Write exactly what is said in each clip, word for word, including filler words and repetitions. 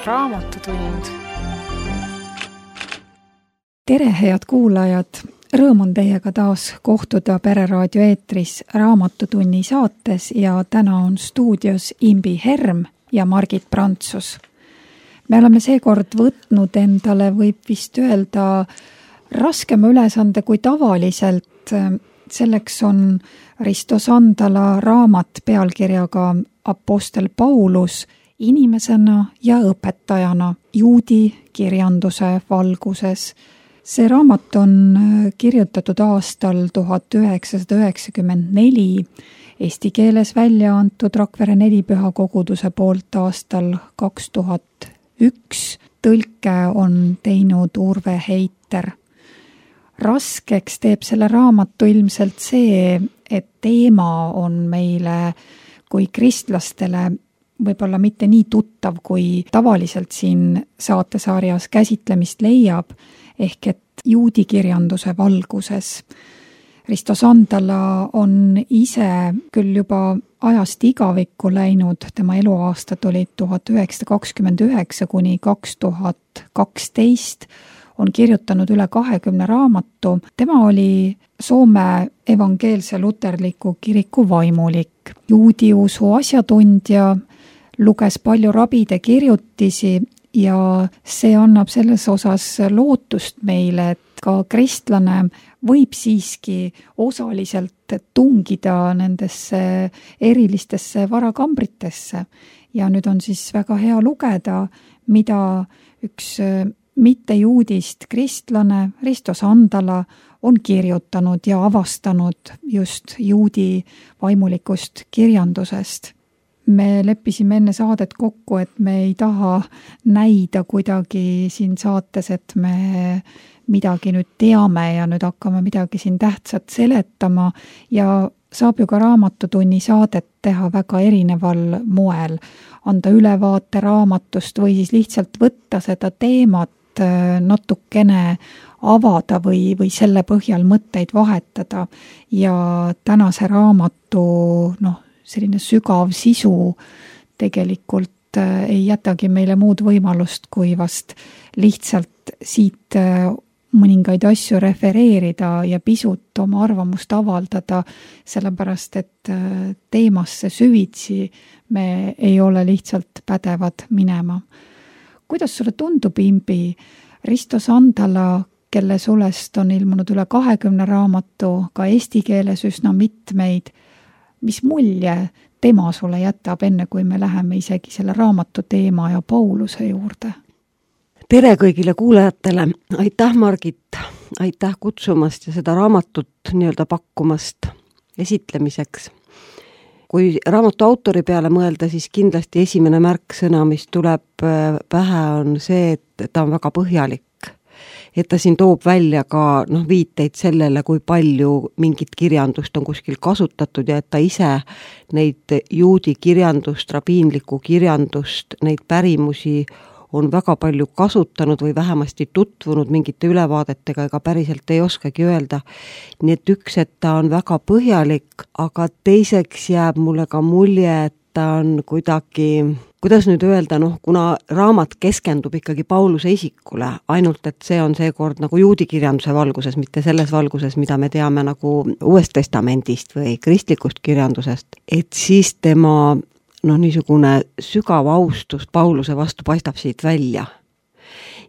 Raamatutund. Tere, head kuulajad! Rõõm on teiega taas kohtuda Pereraadio eetris Raamatutunni saates ja täna on stuudios Imbi Herm ja Margit Prantsus. Me oleme seekord võtnud endale, võib vist öelda, raskema ülesande kui tavaliselt. Selleks on Risto Sandala raamat pealkirjaga Apostel Paulus inimesena ja õpetajana juudi kirjanduse valguses. See raamat on kirjutatud aastal tuhat üheksasada üheksakümmend neli, eesti keeles välja antud Rakvere nelipüha koguduse poolt aastal kaks tuhat üks. Tõlke on teinud Urve Heiter. Raskeks teeb selle raamatu ilmselt see, et teema on meile kui kristlastele võib-olla mitte nii tuttav, kui tavaliselt siin saatesarjas käsitlemist leiab, ehk et juudi kirjanduse valguses. Risto Sandala on ise küll juba ajast igavikku läinud, tema eluaastad olid tuhat üheksasada kakskümmend üheksa kuni kaks tuhat kaksteist, on kirjutanud üle kahekümne raamatu. Tema oli Soome evangeelse luterliku kiriku vaimulik, juudi usu asjatundja, luges palju rabide kirjutisi ja see annab selles osas lootust meile, et ka kristlane võib siiski osaliselt tungida nendesse erilistesse varakambritesse. Ja nüüd on siis väga hea lugeda, mida üks mittejuudist kristlane Risto Sandala on kirjutanud ja avastanud just juudi vaimulikust kirjandusest. Me leppisime enne saadet kokku, et me ei taha näida kuidagi siin saates, et me midagi nüüd teame ja nüüd hakkame midagi siin tähtsat seletama ja saab ju ka Raamatutunni saadet teha väga erineval moel, anda ülevaate raamatust või siis lihtsalt võtta seda teemat natukene avada või, või selle põhjal mõtteid vahetada ja tänase raamatu noh, selline sügav sisu tegelikult ei jätagi meile muud võimalust, kui vast lihtsalt siit mõningaid asju refereerida ja pisut oma arvamust avaldada, sellepärast et teemasse süvitsi me ei ole lihtsalt pädevad minema. Kuidas sulle tundub, Imbi, Risto Sandala, kelle sulest on ilmunud üle kahekümne raamatu, ka eesti keeles üsna mitmeid, mis mulje tema sulle jätab enne, kui me läheme isegi selle raamatu teema ja Pauluse juurde? Tere kõigile kuulajatele! Aitäh, Margit! Aitäh kutsumast ja seda raamatut nii-öelda pakkumast esitlemiseks. Kui raamatu autori peale mõelda, siis kindlasti esimene märksõna, mis tuleb pähe, on see, et ta on väga põhjalik. Et ta siin toob välja ka noh, viiteid sellele, kui palju mingit kirjandust on kuskil kasutatud ja et ta ise neid juudi kirjandust, rabiinlikku kirjandust, neid pärimusi on väga palju kasutanud või vähemasti tutvunud mingite ülevaadetega, ega päriselt ei oskagi öelda. Nii et üks, et ta on väga põhjalik, aga teiseks jääb mulle ka mulje, et ta on kuidagi, kuidas nüüd öelda, noh, kuna raamat keskendub ikkagi Pauluse isikule, ainult et see on seekord nagu juudi kirjanduse valguses, mitte selles valguses, mida me teame nagu Uuest Testamendist või kristlikust kirjandusest, et siis tema noh, niisugune sügav austus Pauluse vastu paistab siit välja.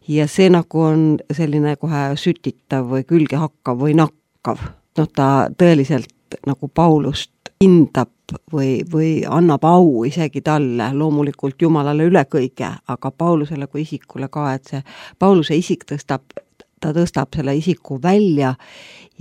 Ja see nagu on selline kohe sütitav või külge hakkav või nakkav. Noh, ta tõeliselt nagu Paulust hindab või, või annab au isegi talle, loomulikult Jumalale üle kõige, aga Paulusele kui isikule ka, et see Pauluse isik tõstab, ta tõstab selle isiku välja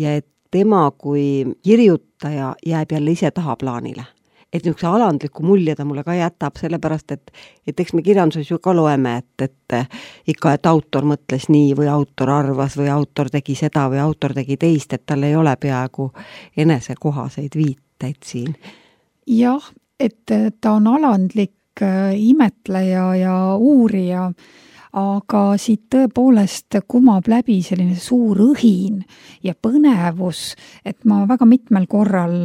ja et tema kui kirjutaja jääb jälle ise tahaplaanile. Et niisuguse alandliku mulje ta mulle ka jätab, sellepärast, et, et eks me kirjanduses ju ka loeme, et, et ikka, et autor mõtles nii või autor arvas või autor tegi seda või autor tegi teist, et tal ei ole peaaegu enesekohaseid viiteid siin. Jah, et ta on alandlik imetleja ja uurija, aga siit tõepoolest kumab läbi selline suur õhin ja põnevus, et ma väga mitmel korral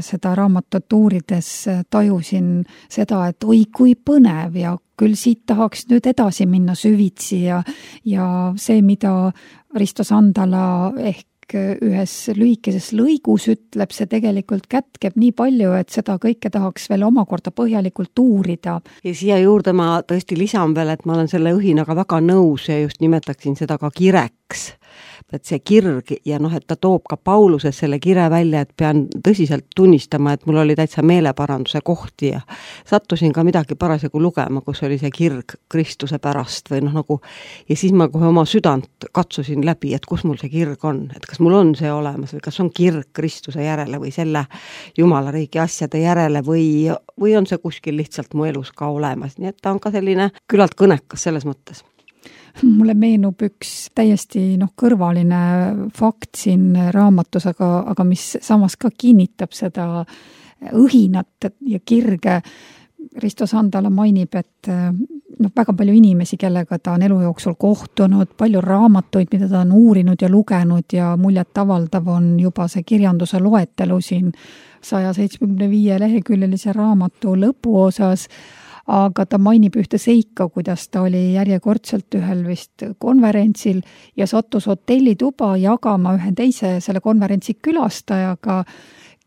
seda raamatut uurides tajusin seda, et oi kui põnev ja küll siit tahaks nüüd edasi minna süvitsi ja, ja see, mida Risto Sandala ehk ühes lühikeses lõigus ütleb, see tegelikult kätkeb nii palju, et seda kõike tahaks veel omakorda põhjalikult uurida. Ja siia juurde ma tõesti lisan veel, et ma olen selle õhinaga väga nõus ja just nimetaksin seda ka kireks. Et see kirg ja noh, et ta toob ka Pauluses selle kire välja, et pean tõsiselt tunnistama, et mul oli täitsa meeleparanduse kohti ja sattusin ka midagi parasjagu lugema, kus oli see kirg Kristuse pärast või noh nagu, ja siis ma kohe oma südant katsusin läbi, et kus mul see kirg on, et kas mul on see olemas või kas on kirg Kristuse järele või selle Jumala riigi asjade järele või, või on see kuskil lihtsalt mu elus ka olemas, nii et ta on ka selline küllalt kõnekas selles mõttes. Mulle meenub üks täiesti noh, kõrvaline fakt siin raamatus, aga, aga mis samas ka kinnitab seda õhinat ja kirge. Risto Sandala mainib, et noh, väga palju inimesi, kellega ta on elu jooksul kohtunud, palju raamatuid, mida ta on uurinud ja lugenud ja muljet avaldav on juba see kirjanduse loetelu siin saja seitsmekümne viie leheküljelise raamatu lõpuosas, aga ta mainib ühte seika, kuidas ta oli järjekordselt ühel vist konverentsil ja sattus hotellituba jagama ühe teise selle konverentsi külastajaga,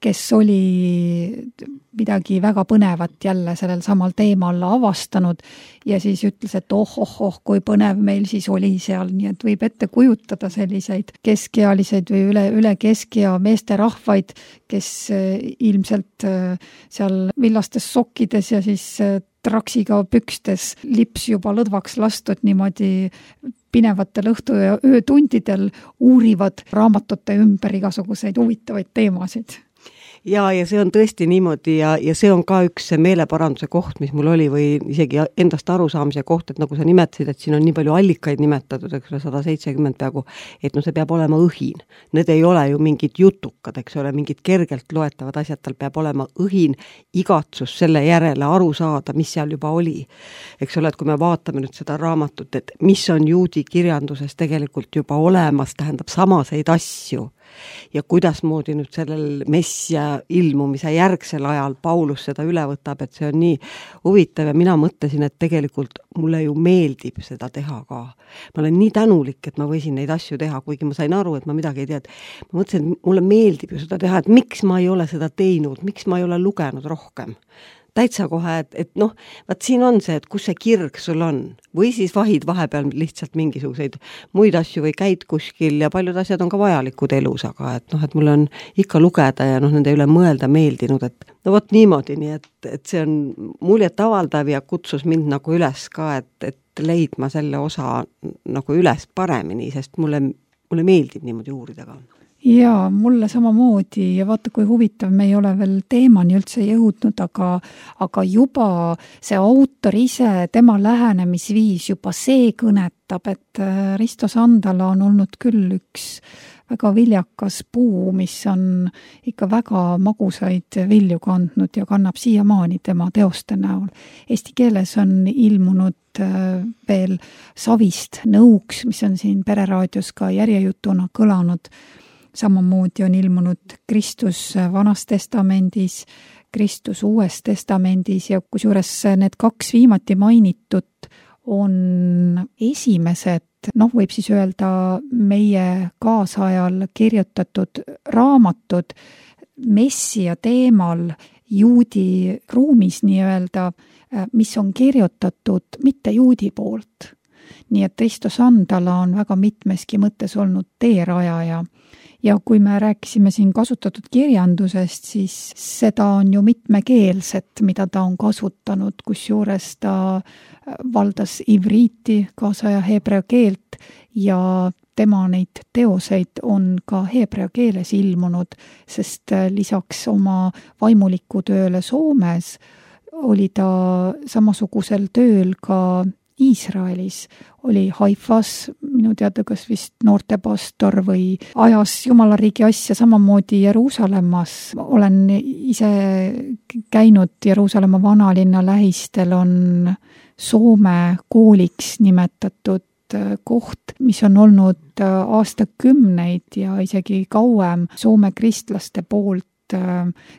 kes oli midagi väga põnevat jälle sellel samal teemal avastanud ja siis ütles, et oh, oh, oh, kui põnev meil siis oli seal, nii et võib ette kujutada selliseid keskealiseid või üle, üle keskea meesterahvaid, kes ilmselt seal villastes sokkides ja siis traksiga pükstes lips juba lõdvaks lastud niimoodi pinevatel õhtu- ja öötundidel uurivad raamatute ümber igasuguseid huvitavaid teemasid. Ja, ja see on tõesti niimoodi ja, ja see on ka üks meeleparanduse koht, mis mul oli või isegi endast arusaamise koht, et nagu sa nimetasid, et siin on nii palju allikaid nimetatud, eks ole, sada seitsekümmend peaaegu, et no see peab olema õhin. Need ei ole ju mingid jutukad, eks ole, mingid kergelt loetavad asjad, tal peab olema õhin, igatsus selle järele aru saada, mis seal juba oli. Eks ole, et kui me vaatame nüüd seda raamatut, et mis on juudi kirjanduses tegelikult juba olemas, tähendab samaseid asju ja kuidas moodi nüüd sellel messia ilmumise järgsel ajal Paulus seda üle võtab, et see on nii huvitav ja mina mõtlesin, et tegelikult mulle ju meeldib seda teha ka. Ma olen nii tänulik, et ma võisin neid asju teha, kuigi ma sain aru, et ma midagi ei tea. Ma mõtlesin, et mulle meeldib ju seda teha, et miks ma ei ole seda teinud, miks ma ei ole lugenud rohkem. Täitsa kohe, et, et noh, vaat siin on see, et kus see kirg sul on või siis vahid vahepeal lihtsalt mingisuguseid muid asju või käid kuskil ja paljud asjad on ka vajalikud elus, aga et noh, et mul on ikka lugeda ja noh, nende üle mõelda meeldinud, et no vot niimoodi, nii et, et see on muljet avaldav ja kutsus mind nagu üles ka, et, et leidma selle osa nagu üles paremini, sest mulle, mulle meeldib niimoodi uurida ka. Jaa, mulle samamoodi ja vaata, kui huvitav, me ei ole veel teemani üldse jõudnud, aga, aga juba see autor ise, tema lähenemisviis juba see kõnetab, et Risto Sandala on olnud küll üks väga viljakas puu, mis on ikka väga magusaid vilju kandnud ja kannab siiamaani tema teoste näol. Eesti keeles on ilmunud veel Savist nõuks, mis on siin Pereraadios ka järjejutuna kõlanud. Samamoodi on ilmunud Kristus Vanas testamendis, Kristus Uues testamendis ja kusjuures need kaks viimati mainitud on esimesed, noh võib siis öelda meie kaasajal kirjutatud raamatud messia teemal juudi ruumis nii-öelda, mis on kirjutatud mitte juudi poolt. Nii et Risto Sandala on väga mitmeski mõttes olnud teerajaja. Ja kui me rääkisime siin kasutatud kirjandusest, siis seda on ju mitmekeelset, mida ta on kasutanud, kusjuures ta valdas ivriiti, kaasaja heebrea keelt ja tema neid teoseid on ka heebrea keeles ilmunud, sest lisaks oma vaimuliku tööle Soomes oli ta samasugusel tööl ka Iisraelis, oli Haifas, minu teada kas vist noortepastor või ajas Jumala riigi asja samamoodi Jeruusalemmas. Olen ise käinud Jeruusalemma vanalinna lähistel, on Soome kooliks nimetatud koht, mis on olnud aastakümneid ja isegi kauem Soome kristlaste poolt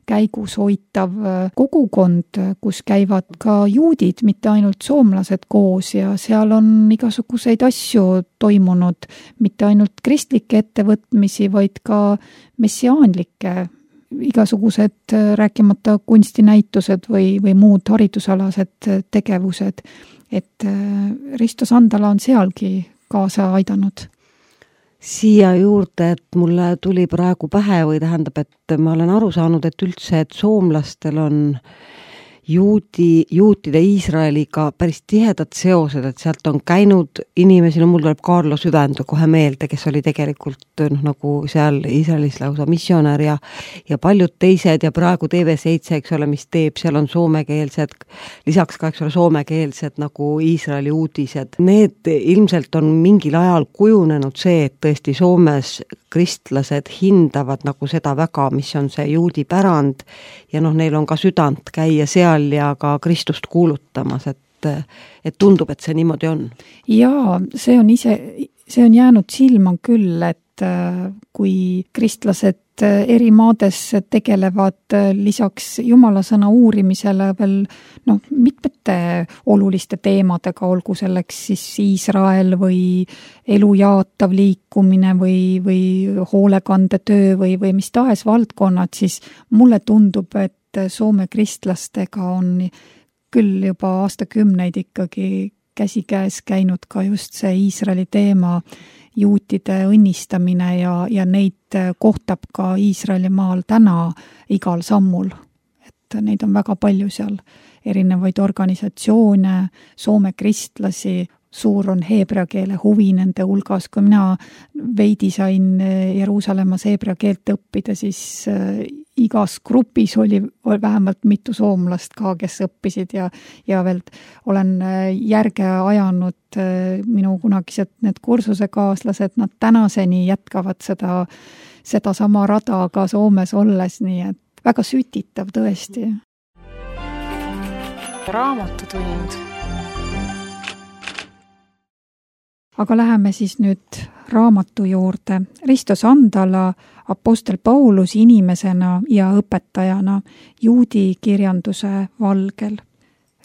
käigus hoitav kogukond, kus käivad ka juudid, mitte ainult soomlased koos ja seal on igasuguseid asju toimunud, mitte ainult kristlikke ettevõtmisi, vaid ka messiaanlikke, igasugused rääkimata kunstinäitused või, või muud haridusalased tegevused. Et Risto Sandala on sealgi kaasa aidanud. Siia juurde, et mulle tuli praegu pähe või tähendab, et ma olen aru saanud, et üldse, et soomlastel on juudi, juutide Iisraeliga päris tihedad seosed, et sealt on käinud inimesi, no mul tuleb Kaarlo Süvendö kohe meelde, kes oli tegelikult noh, nagu seal Iisraelis lausa missionär ja, ja paljud teised ja praegu T V seitse, eks ole, mis teeb, seal on soomekeelsed, lisaks ka, eks ole, soomekeelsed nagu Iisraeli uudised. Need ilmselt on mingil ajal kujunenud see, et tõesti Soomes kristlased hindavad nagu seda väga, mis on see juudi pärand ja noh, neil on ka südant käia seal ja ka Kristust kuulutamas, et, et tundub, et see niimoodi on. Jaa, see on ise, see on jäänud silma küll, et kui kristlased eri maades tegelevad lisaks Jumala sõna uurimisele veel no, mitmete oluliste teemadega, olgu selleks siis Iisrael või elu jaatav liikumine või, või hoolekandetöö või, või mis tahes valdkonnad, siis mulle tundub, et Soome kristlastega on küll juba aastakümneid ikkagi käsikäes käinud ka just see Iisraeli teema, juutide õnnistamine ja, ja neid kohtab ka Iisraeli maal täna igal sammul. Et neid on väga palju seal, erinevaid organisatsioone, Soome kristlasi, suur on heebrea keele huvi nende hulgas. Kui mina veidi sain Jeruusalemmas heebrea keelt õppida, siis igas grupis oli vähemalt mitu soomlast ka, kes õppisid ja, ja veel olen järge ajanud minu kunagised need kursusekaaslased, nad tänaseni jätkavad seda, seda sama rada ka Soomes olles, nii et väga sütitav tõesti. Raamatutund. Aga läheme siis nüüd raamatu juurde. Risto Sandala, Apostel Paulus inimesena ja õpetajana juudi kirjanduse valgel.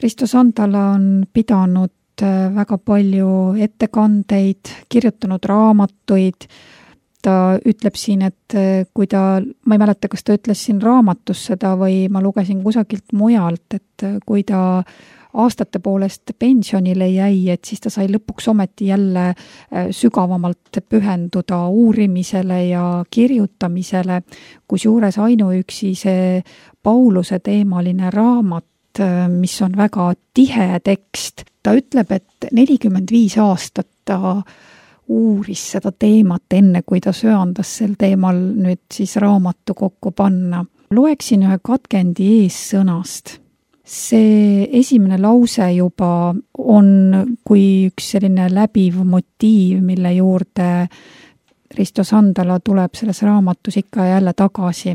Risto Sandala on pidanud väga palju ettekandeid, kirjutanud raamatuid. Ta ütleb siin, et kui ta, ma ei mäleta, kas ta ütles siin raamatus seda või ma lugesin kusagilt mujalt, et kui ta aastate poolest pensionile jäi, et siis ta sai lõpuks ometi jälle sügavamalt pühenduda uurimisele ja kirjutamisele, kus juures ainuüksi see Pauluse teemaline raamat, mis on väga tihe tekst. Ta ütleb, et nelikümmend viis aastat ta uuris seda teemat enne, kui ta söandas sel teemal nüüd siis raamatu kokku panna. Loeksin ühe katkendi eessõnast. See esimene lause juba on kui üks selline läbiv motiiv, mille juurde Risto Sandala tuleb selles raamatus ikka ja jälle tagasi.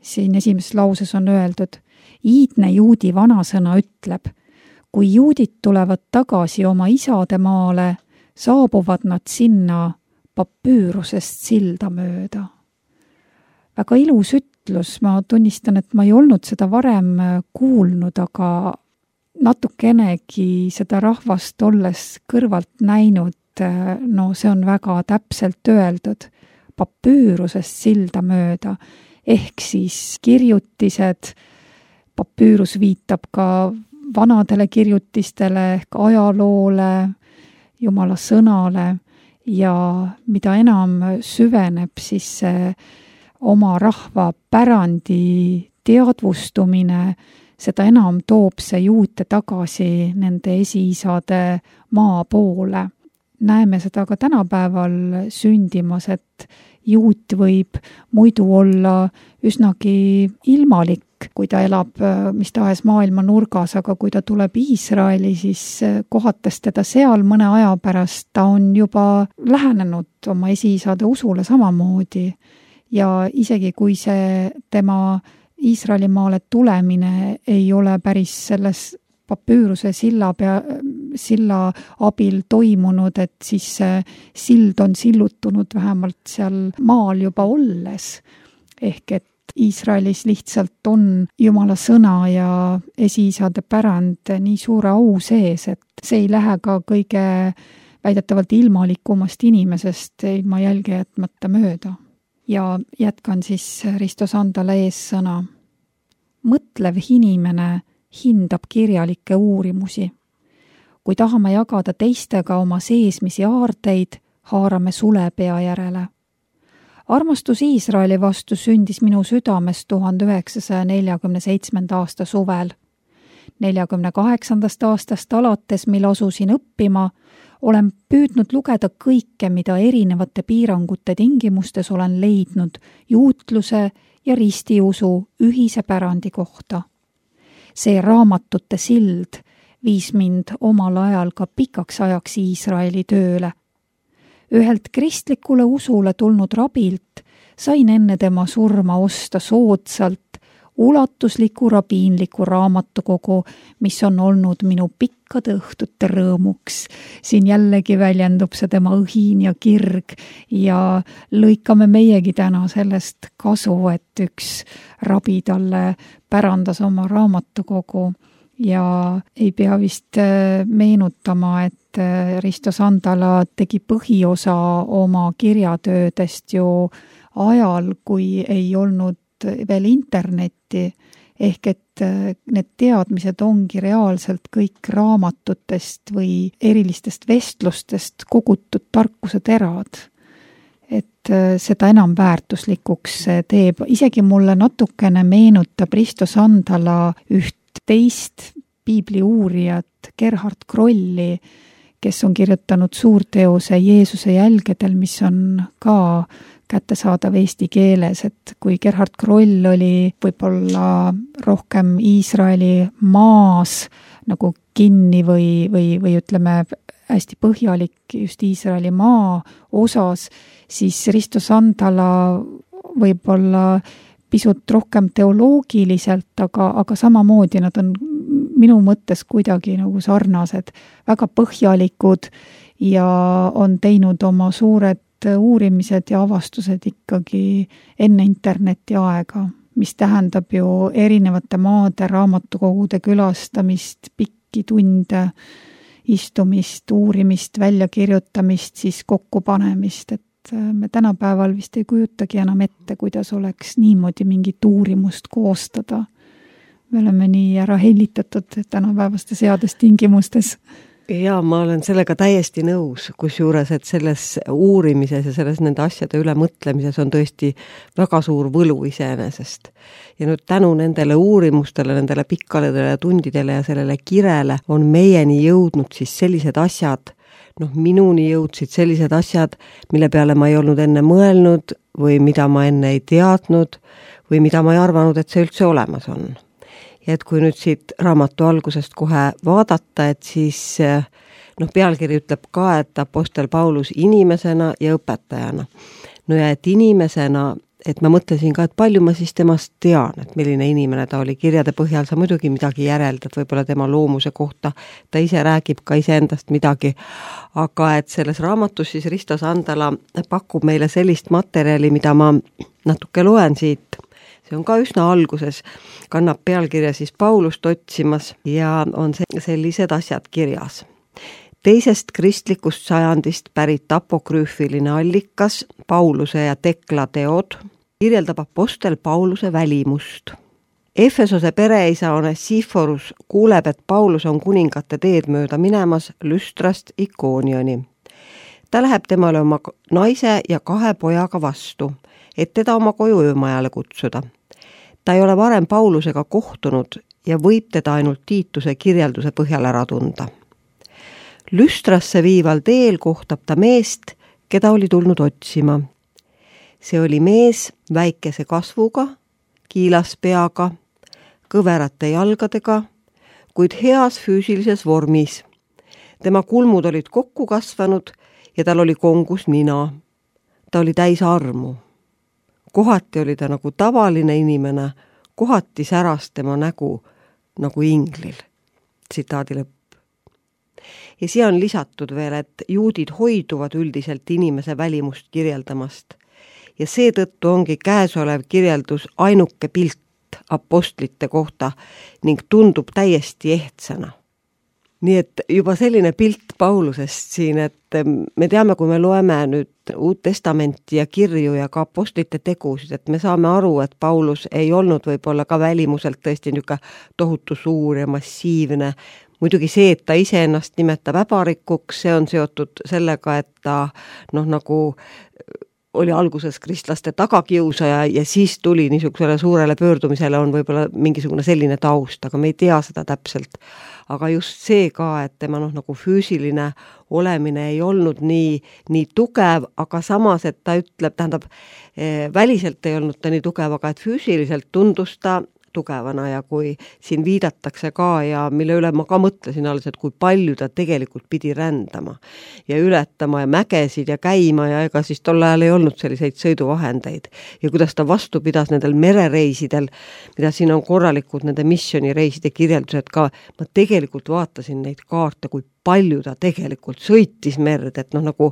Siin esimeses lauses on öeldud, iidne juudi vanasõna ütleb, kui juudid tulevad tagasi oma isade maale, saabuvad nad sinna papüürusest silda mööda. Väga ilus ütlus, ma tunnistan, et ma ei olnud seda varem kuulnud, aga natukenegi seda rahvast olles kõrvalt näinud, no see on väga täpselt öeldud, papüürusest silda mööda, ehk siis kirjutised, papüürus viitab ka vanadele kirjutistele ehk ajaloole, Jumala sõnale ja mida enam süveneb, siis see oma rahva pärandi teadvustumine, seda enam toob see juute tagasi nende esiisade maa poole. Näeme seda ka tänapäeval sündimas, et juut võib muidu olla üsnagi ilmalik, kui ta elab mis tahes maailma nurgas, aga kui ta tuleb Iisraeli, siis kohates teda seal mõne aja pärast, ta on juba lähenenud oma esiisade usule samamoodi. Ja isegi kui see tema Iisraeli maale tulemine ei ole päris selles papüüruse silla pea, silla abil toimunud, et siis see sild on sillutunud vähemalt seal maal juba olles. Ehk et Iisraelis lihtsalt on Jumala sõna ja esiisade pärand nii suure au sees, et see ei lähe ka kõige väidetavalt ilmalikumast inimesest ilma jälge jätmata mööda. Ja jätkan siis Risto Sandala eessõna. Mõtlev inimene hindab kirjalikke uurimusi. Kui tahame jagada teistega oma seesmisi aarteid, haarame sulepea järele. Armastus Iisraeli vastu sündis minu südames tuhande üheksasaja neljakümne seitsmenda aasta suvel. neljakümne kaheksandast aastast alates, mil asusin õppima, olen püüdnud lugeda kõike, mida erinevate piirangute tingimustes olen leidnud juutluse ja ristiusu ühise pärandi kohta. See raamatute sild viis mind omal ajal ka pikaks ajaks Iisraeli tööle. Ühelt kristlikule usule tulnud rabilt sain enne tema surma osta soodsalt ulatusliku rabiinliku raamatukogu, mis on olnud minu pikkade õhtute rõõmuks. Siin jällegi väljendub see tema õhin ja kirg ja lõikame meiegi täna sellest kasu, et üks rabi talle pärandas oma raamatukogu ja ei pea vist meenutama, et Risto Sandala tegi põhiosa oma kirjatöödest ju ajal, kui ei olnud veel internetti, ehk et need teadmised ongi reaalselt kõik raamatutest või erilistest vestlustest kogutud tarkuse terad. Et seda enam väärtuslikuks teeb. Isegi mulle natukene meenutab Risto Sandala üht teist piibli uurijat Gerhard Krolli, kes on kirjutanud suurteose Jeesuse jälgedel, mis on ka kättesaadav eesti keeles, et kui Gerhard Kroll oli võib-olla rohkem Iisraeli maas nagu kinni või, või, või ütleme hästi põhjalik just Iisraeli maa osas, siis Risto Sandala võib-olla pisut rohkem teoloogiliselt, aga, aga samamoodi nad on minu mõttes kuidagi nagu sarnased, väga põhjalikud ja on teinud oma suured uurimised ja avastused ikkagi enne interneti aega, mis tähendab ju erinevate maade raamatukogude külastamist, pikki tunde, istumist, uurimist, väljakirjutamist, siis kokkupanemist, et me tänapäeval vist ei kujutagi enam ette, kuidas oleks niimoodi mingit uurimust koostada. Me oleme nii ära hellitatud tänapäevaste seadustingimustes. Ja ma olen sellega täiesti nõus, kusjuures, et selles uurimises ja selles nende asjade üle mõtlemises on tõesti väga suur võlu iseenesest. Ja nüüd tänu nendele uurimustele, nendele pikkaledele tundidele ja sellele kirele on meieni jõudnud siis sellised asjad, noh minuni jõudsid sellised asjad, mille peale ma ei olnud enne mõelnud või mida ma enne ei teadnud või mida ma ei arvanud, et see üldse olemas on. Ja et kui nüüd siit raamatu algusest kohe vaadata, et siis noh, pealkiri ütleb ka, et apostel Paulus inimesena ja õpetajana. No ja et inimesena, et ma mõtlesin ka, et palju ma siis temast tean, et milline inimene ta oli. Kirjade põhjal sa muidugi midagi järeldad, võib-olla tema loomuse kohta, ta ise räägib ka iseendast midagi, aga et selles raamatus siis Risto Sandala pakub meile sellist materjali, mida ma natuke loen siit. See on ka üsna alguses, kannab pealkirja siis Paulust otsimas ja on sellised asjad kirjas. Teisest kristlikust sajandist pärit apokrüüfiline allikas, Pauluse ja Tekla teod, kirjeldab apostel Pauluse välimust. Efesose pereisa Onesiforus kuuleb, et Paulus on kuningate teed mööda minemas Lüstrast Ikoonioni. Ta läheb temale oma naise ja kahe pojaga vastu, et teda oma koju öömajale kutsuda. Ta ei ole varem Paulusega kohtunud ja võib teda ainult Tiituse kirjelduse põhjal ära tunda. Lüstrasse viival teel kohtab ta meest, keda oli tulnud otsima. See oli mees väikese kasvuga, kiilas peaga, kõverate jalgadega, kuid heas füüsilises vormis. Tema kulmud olid kokku kasvanud ja tal oli kongus nina. Ta oli täis armu. Kohati oli ta nagu tavaline inimene, kohati säras tema nägu nagu inglil. tsitaadi lõpp. Ja siia on lisatud veel, et juudid hoiduvad üldiselt inimese välimust kirjeldamast ja seetõttu ongi käesolev kirjeldus ainuke pilt apostlite kohta ning tundub täiesti ehtsana. Nii et juba selline pilt Paulusest siin, et me teame, kui me loeme nüüd Uut Testamenti ja kirju ja ka apostlite tegusid, et me saame aru, et Paulus ei olnud võib-olla ka välimuselt tõesti niisugune tohutu suur ja massiivne. Muidugi see, et ta ise ennast nimetab äbarikuks, see on seotud sellega, et ta noh, nagu oli alguses kristlaste tagakiusaja ja siis tuli niisugusele suurele pöördumisele on võib-olla mingisugune selline taust, aga me ei tea seda täpselt. Aga just see ka, et tema noh, nagu füüsiline olemine ei olnud nii, nii tugev, aga samas, et ta ütleb, tähendab, väliselt ei olnud ta nii tugev, aga et füüsiliselt tundus ta tugevana ja kui siin viidatakse ka ja mille üle ma ka mõtlesin alles, et kui palju ta tegelikult pidi rändama ja ületama ja mägesid ja käima ja ega siis tol ajal ei olnud selliseid sõiduvahendeid ja kuidas ta vastu pidas nendel merereisidel, mida siin on korralikud nende missionireiside kirjeldused ka, ma tegelikult vaatasin neid kaarte, kui palju ta tegelikult sõitis merd, et noh, nagu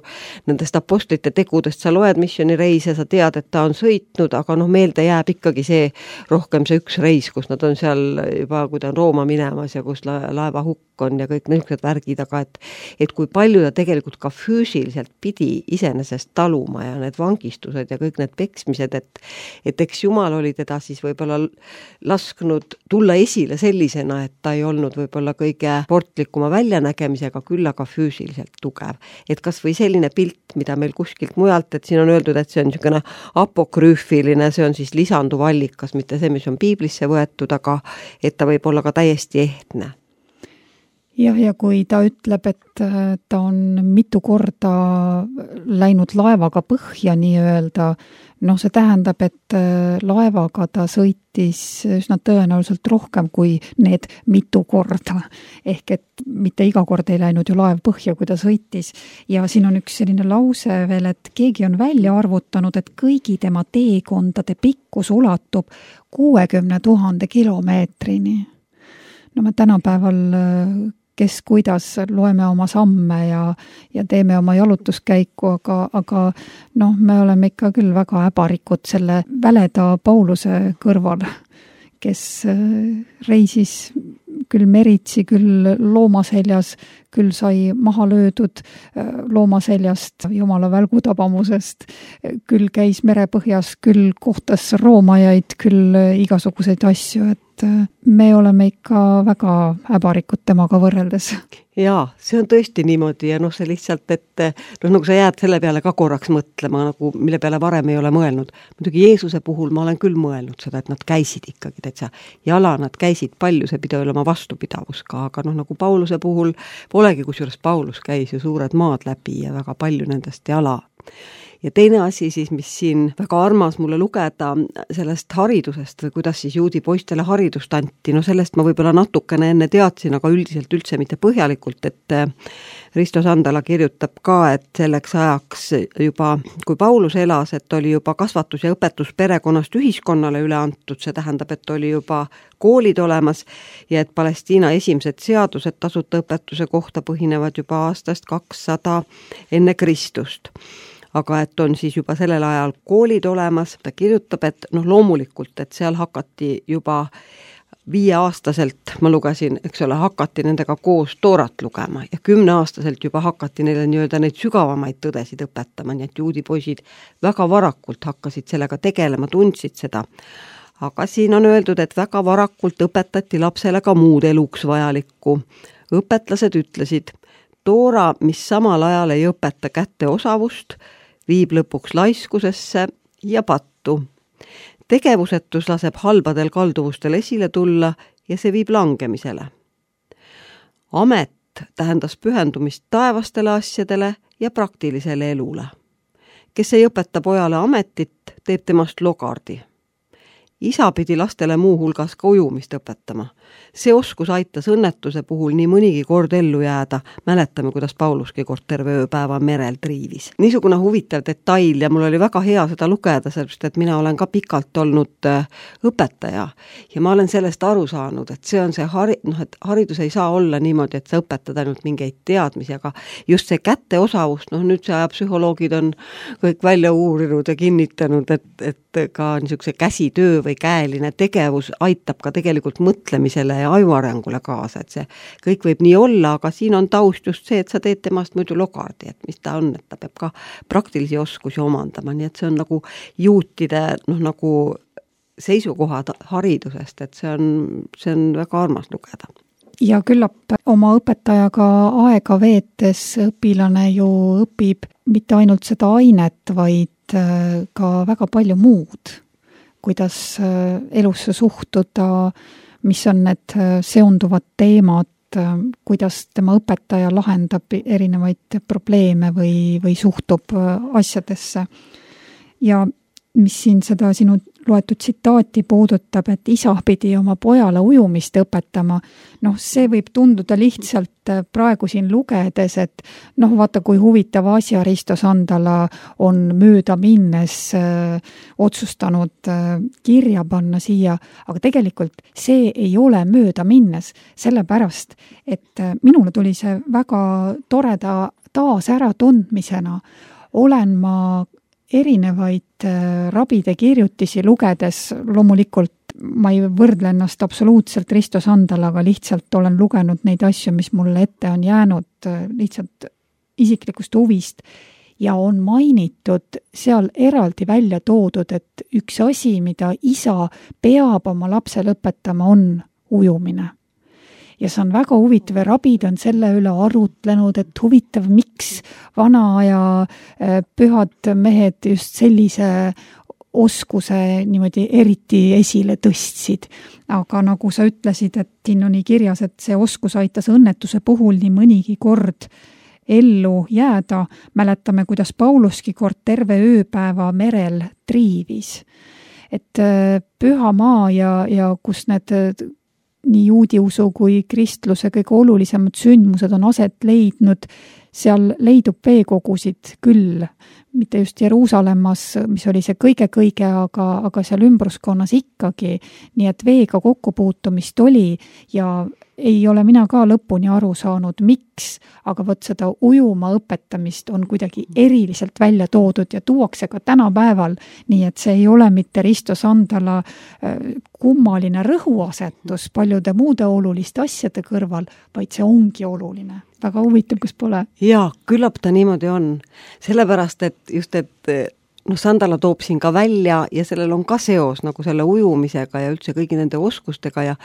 nendest apostlite tegudest sa loed missionireise, sa tead, et ta on sõitnud, aga noh, meelde jääb ikkagi see rohkem see üks reis, kus nad on seal juba, kui ta on Rooma minemas ja kus laeva hukk on ja kõik niisugused värgid, aga et, et kui palju ta tegelikult ka füüsiliselt pidi iseenesest taluma ja need vangistused ja kõik need peksmised, et, et eks Jumal oli teda siis võib-olla lasknud tulla esile sellisena, et ta ei olnud võib-olla kõige sportlikuma väljanägemise aga küll aga füüsiliselt tugev. Et kas või selline pilt, mida meil kuskilt mujalt, et siin on öeldud, et see on niisugune apokrüüfiline, see on siis lisanduv allikas, mitte see, mis on piiblisse võetud, aga et ta võib olla ka täiesti ehtne. Jah, ja kui ta ütleb, et ta on mitu korda läinud laevaga põhja nii-öelda, noh, see tähendab, et laevaga ta sõitis üsna tõenäoliselt rohkem kui need mitu korda. Ehk et mitte iga kord ei läinud ju laev põhja, kui ta sõitis. Ja siin on üks selline lause veel, et keegi on välja arvutanud, et kõigi tema teekondade pikkus ulatub kuuekümne tuhande kilomeetrini. No me tänapäeval kes kuidas loeme oma samme ja, ja teeme oma jalutuskäiku, aga, aga noh, me oleme ikka küll väga äbarikud selle väleda Pauluse kõrval, kes reisis küll meritsi, küll loomaseljas, küll sai maha löödud loomaseljast, jumala välgutabamusest, küll käis merepõhjas, küll kohtas roomajaid, küll igasuguseid asju, et me oleme ikka väga äbarikud temaga võrreldes. Jaa, see on tõesti niimoodi ja noh, see lihtsalt, et noh, nagu sa jääd selle peale ka korraks mõtlema, nagu mille peale varem ei ole mõelnud. Muidugi Jeesuse puhul ma olen küll mõelnud seda, et nad käisid ikkagi täitsa jala, nad käisid palju, see pidi olema vastupidavus ka, aga noh, nagu Pauluse puhul polegi, kusjuures Paulus käis ju suured maad läbi ja väga palju nendest jala. Ja teine asi siis, mis siin väga armas mulle lugeda sellest haridusest või kuidas siis juudi poistele haridust anti, no sellest ma võib-olla natukene enne teadsin, aga üldiselt üldse mitte põhjalikult, et Risto Sandala kirjutab ka, et selleks ajaks juba, kui Paulus elas, et oli juba kasvatus ja õpetus perekonnast ühiskonnale üle antud, see tähendab, et oli juba koolid olemas ja et Palestiina esimesed seadused tasuta õpetuse kohta põhinevad juba aastast kakssada enne Kristust. Aga et on siis juba sellel ajal koolid olemas, ta kirjutab, et noh, loomulikult, et seal hakati juba viieaastaselt, ma lugesin, eks ole, hakati nendega koos toorat lugema ja kümneaastaselt juba hakati neile nii-öelda neid sügavamaid tõdesid õpetama, nii et juudi poisid väga varakult hakkasid sellega tegelema, tundsid seda. Aga siin on öeldud, et väga varakult õpetati lapsele ka muud eluks vajalikku. Õpetlased ütlesid, toora, mis samal ajal ei õpeta kätte osavust, viib lõpuks laiskusesse ja pattu. Tegevusetus laseb halbadel kalduvustel esile tulla ja see viib langemisele. Amet tähendas pühendumist taevastele asjadele ja praktilisele elule. Kes ei õpeta pojale ametit, teeb temast logardi. isa pidi lastele muu hulgas ka ujumist õpetama. See oskus aitas õnnetuse puhul nii mõnigi kord ellu jääda. Mäletame, kuidas Pauluski kord terve ööpäeva merel triivis. Niisugune huvitav detail ja mul oli väga hea seda lugeda, sellepärast et mina olen ka pikalt olnud õpetaja ja ma olen sellest aru saanud, et see on see hari, noh, et haridus ei saa olla niimoodi, et sa õpetad ainult mingeid teadmisi, aga just see kätteosavust, noh nüüd see psühholoogid on kõik välja uurinud ja kinnitanud, et, et ka niisuguse käsitöö või käeline tegevus aitab ka tegelikult mõtlemisele ja ajuarengule kaasa, et see kõik võib nii olla, aga siin on taust just see, et sa teed temast muidu logardi, et mis ta on, et ta peab ka praktilisi oskusi omandama, nii et see on nagu juutide noh, nagu seisukohad haridusest, et see on, see on väga armas lugeda. Ja küllap oma õpetajaga aega veetes õpilane ju õpib mitte ainult seda ainet, vaid ka väga palju muud, kuidas elusse suhtuda, mis on need seonduvad teemad, kuidas tema õpetaja lahendab erinevaid probleeme või, või suhtub asjadesse. Ja mis siin seda sinu loetud tsitaati puudutab, et isa pidi oma pojale ujumist õpetama, noh, see võib tunduda lihtsalt praegu siin lugedes, et noh, vaata, kui huvitav asja Risto Sandala on mööda minnes äh, otsustanud äh, kirja panna siia, aga tegelikult see ei ole mööda minnes, sellepärast, et äh, minule tuli see väga toreda taas ära tundmisena, olen ma erinevaid rabide kirjutisi lugedes, loomulikult ma ei võrdle ennast absoluutselt Risto Sandalaga, lihtsalt olen lugenud neid asju, mis mulle ette on jäänud lihtsalt isiklikust huvist ja on mainitud seal eraldi välja toodud, et üks asi, mida isa peab oma lapsele õpetama, on ujumine. Ja see on väga huvitav ja rabid on selle üle arutlenud, et huvitav, miks vana aja pühad mehed just sellise oskuse niimoodi eriti esile tõstsid. Aga nagu sa ütlesid, et siin on nii kirjas, et see oskus aitas õnnetuse puhul nii mõnigi kord ellu jääda. Mäletame, kuidas Pauluski kord terve ööpäeva merel triivis. Et püha maa ja, ja kus need nii juudiusu kui kristluse kõige olulisemad sündmused on aset leidnud, seal leidub veekogusid küll, mitte just Jeruusalemmas, mis oli see kõige-kõige, aga, aga seal ümbruskonnas ikkagi, nii et veega kokkupuutumist oli ja ei ole mina ka lõpuni aru saanud, miks, aga võt seda ujuma õpetamist on kuidagi eriliselt välja toodud ja tuuakse ka tänapäeval, nii et see ei ole mitte Risto Sandala kummaline rõhuasetus paljude muude oluliste asjade kõrval, vaid see ongi oluline. Väga huvitav, kus pole. Jaa, küllap ta niimoodi on. Sellepärast, et just, et noh, Sandala toob siin ka välja ja sellel on ka seos nagu selle ujumisega ja üldse kõigi nende oskustega ja,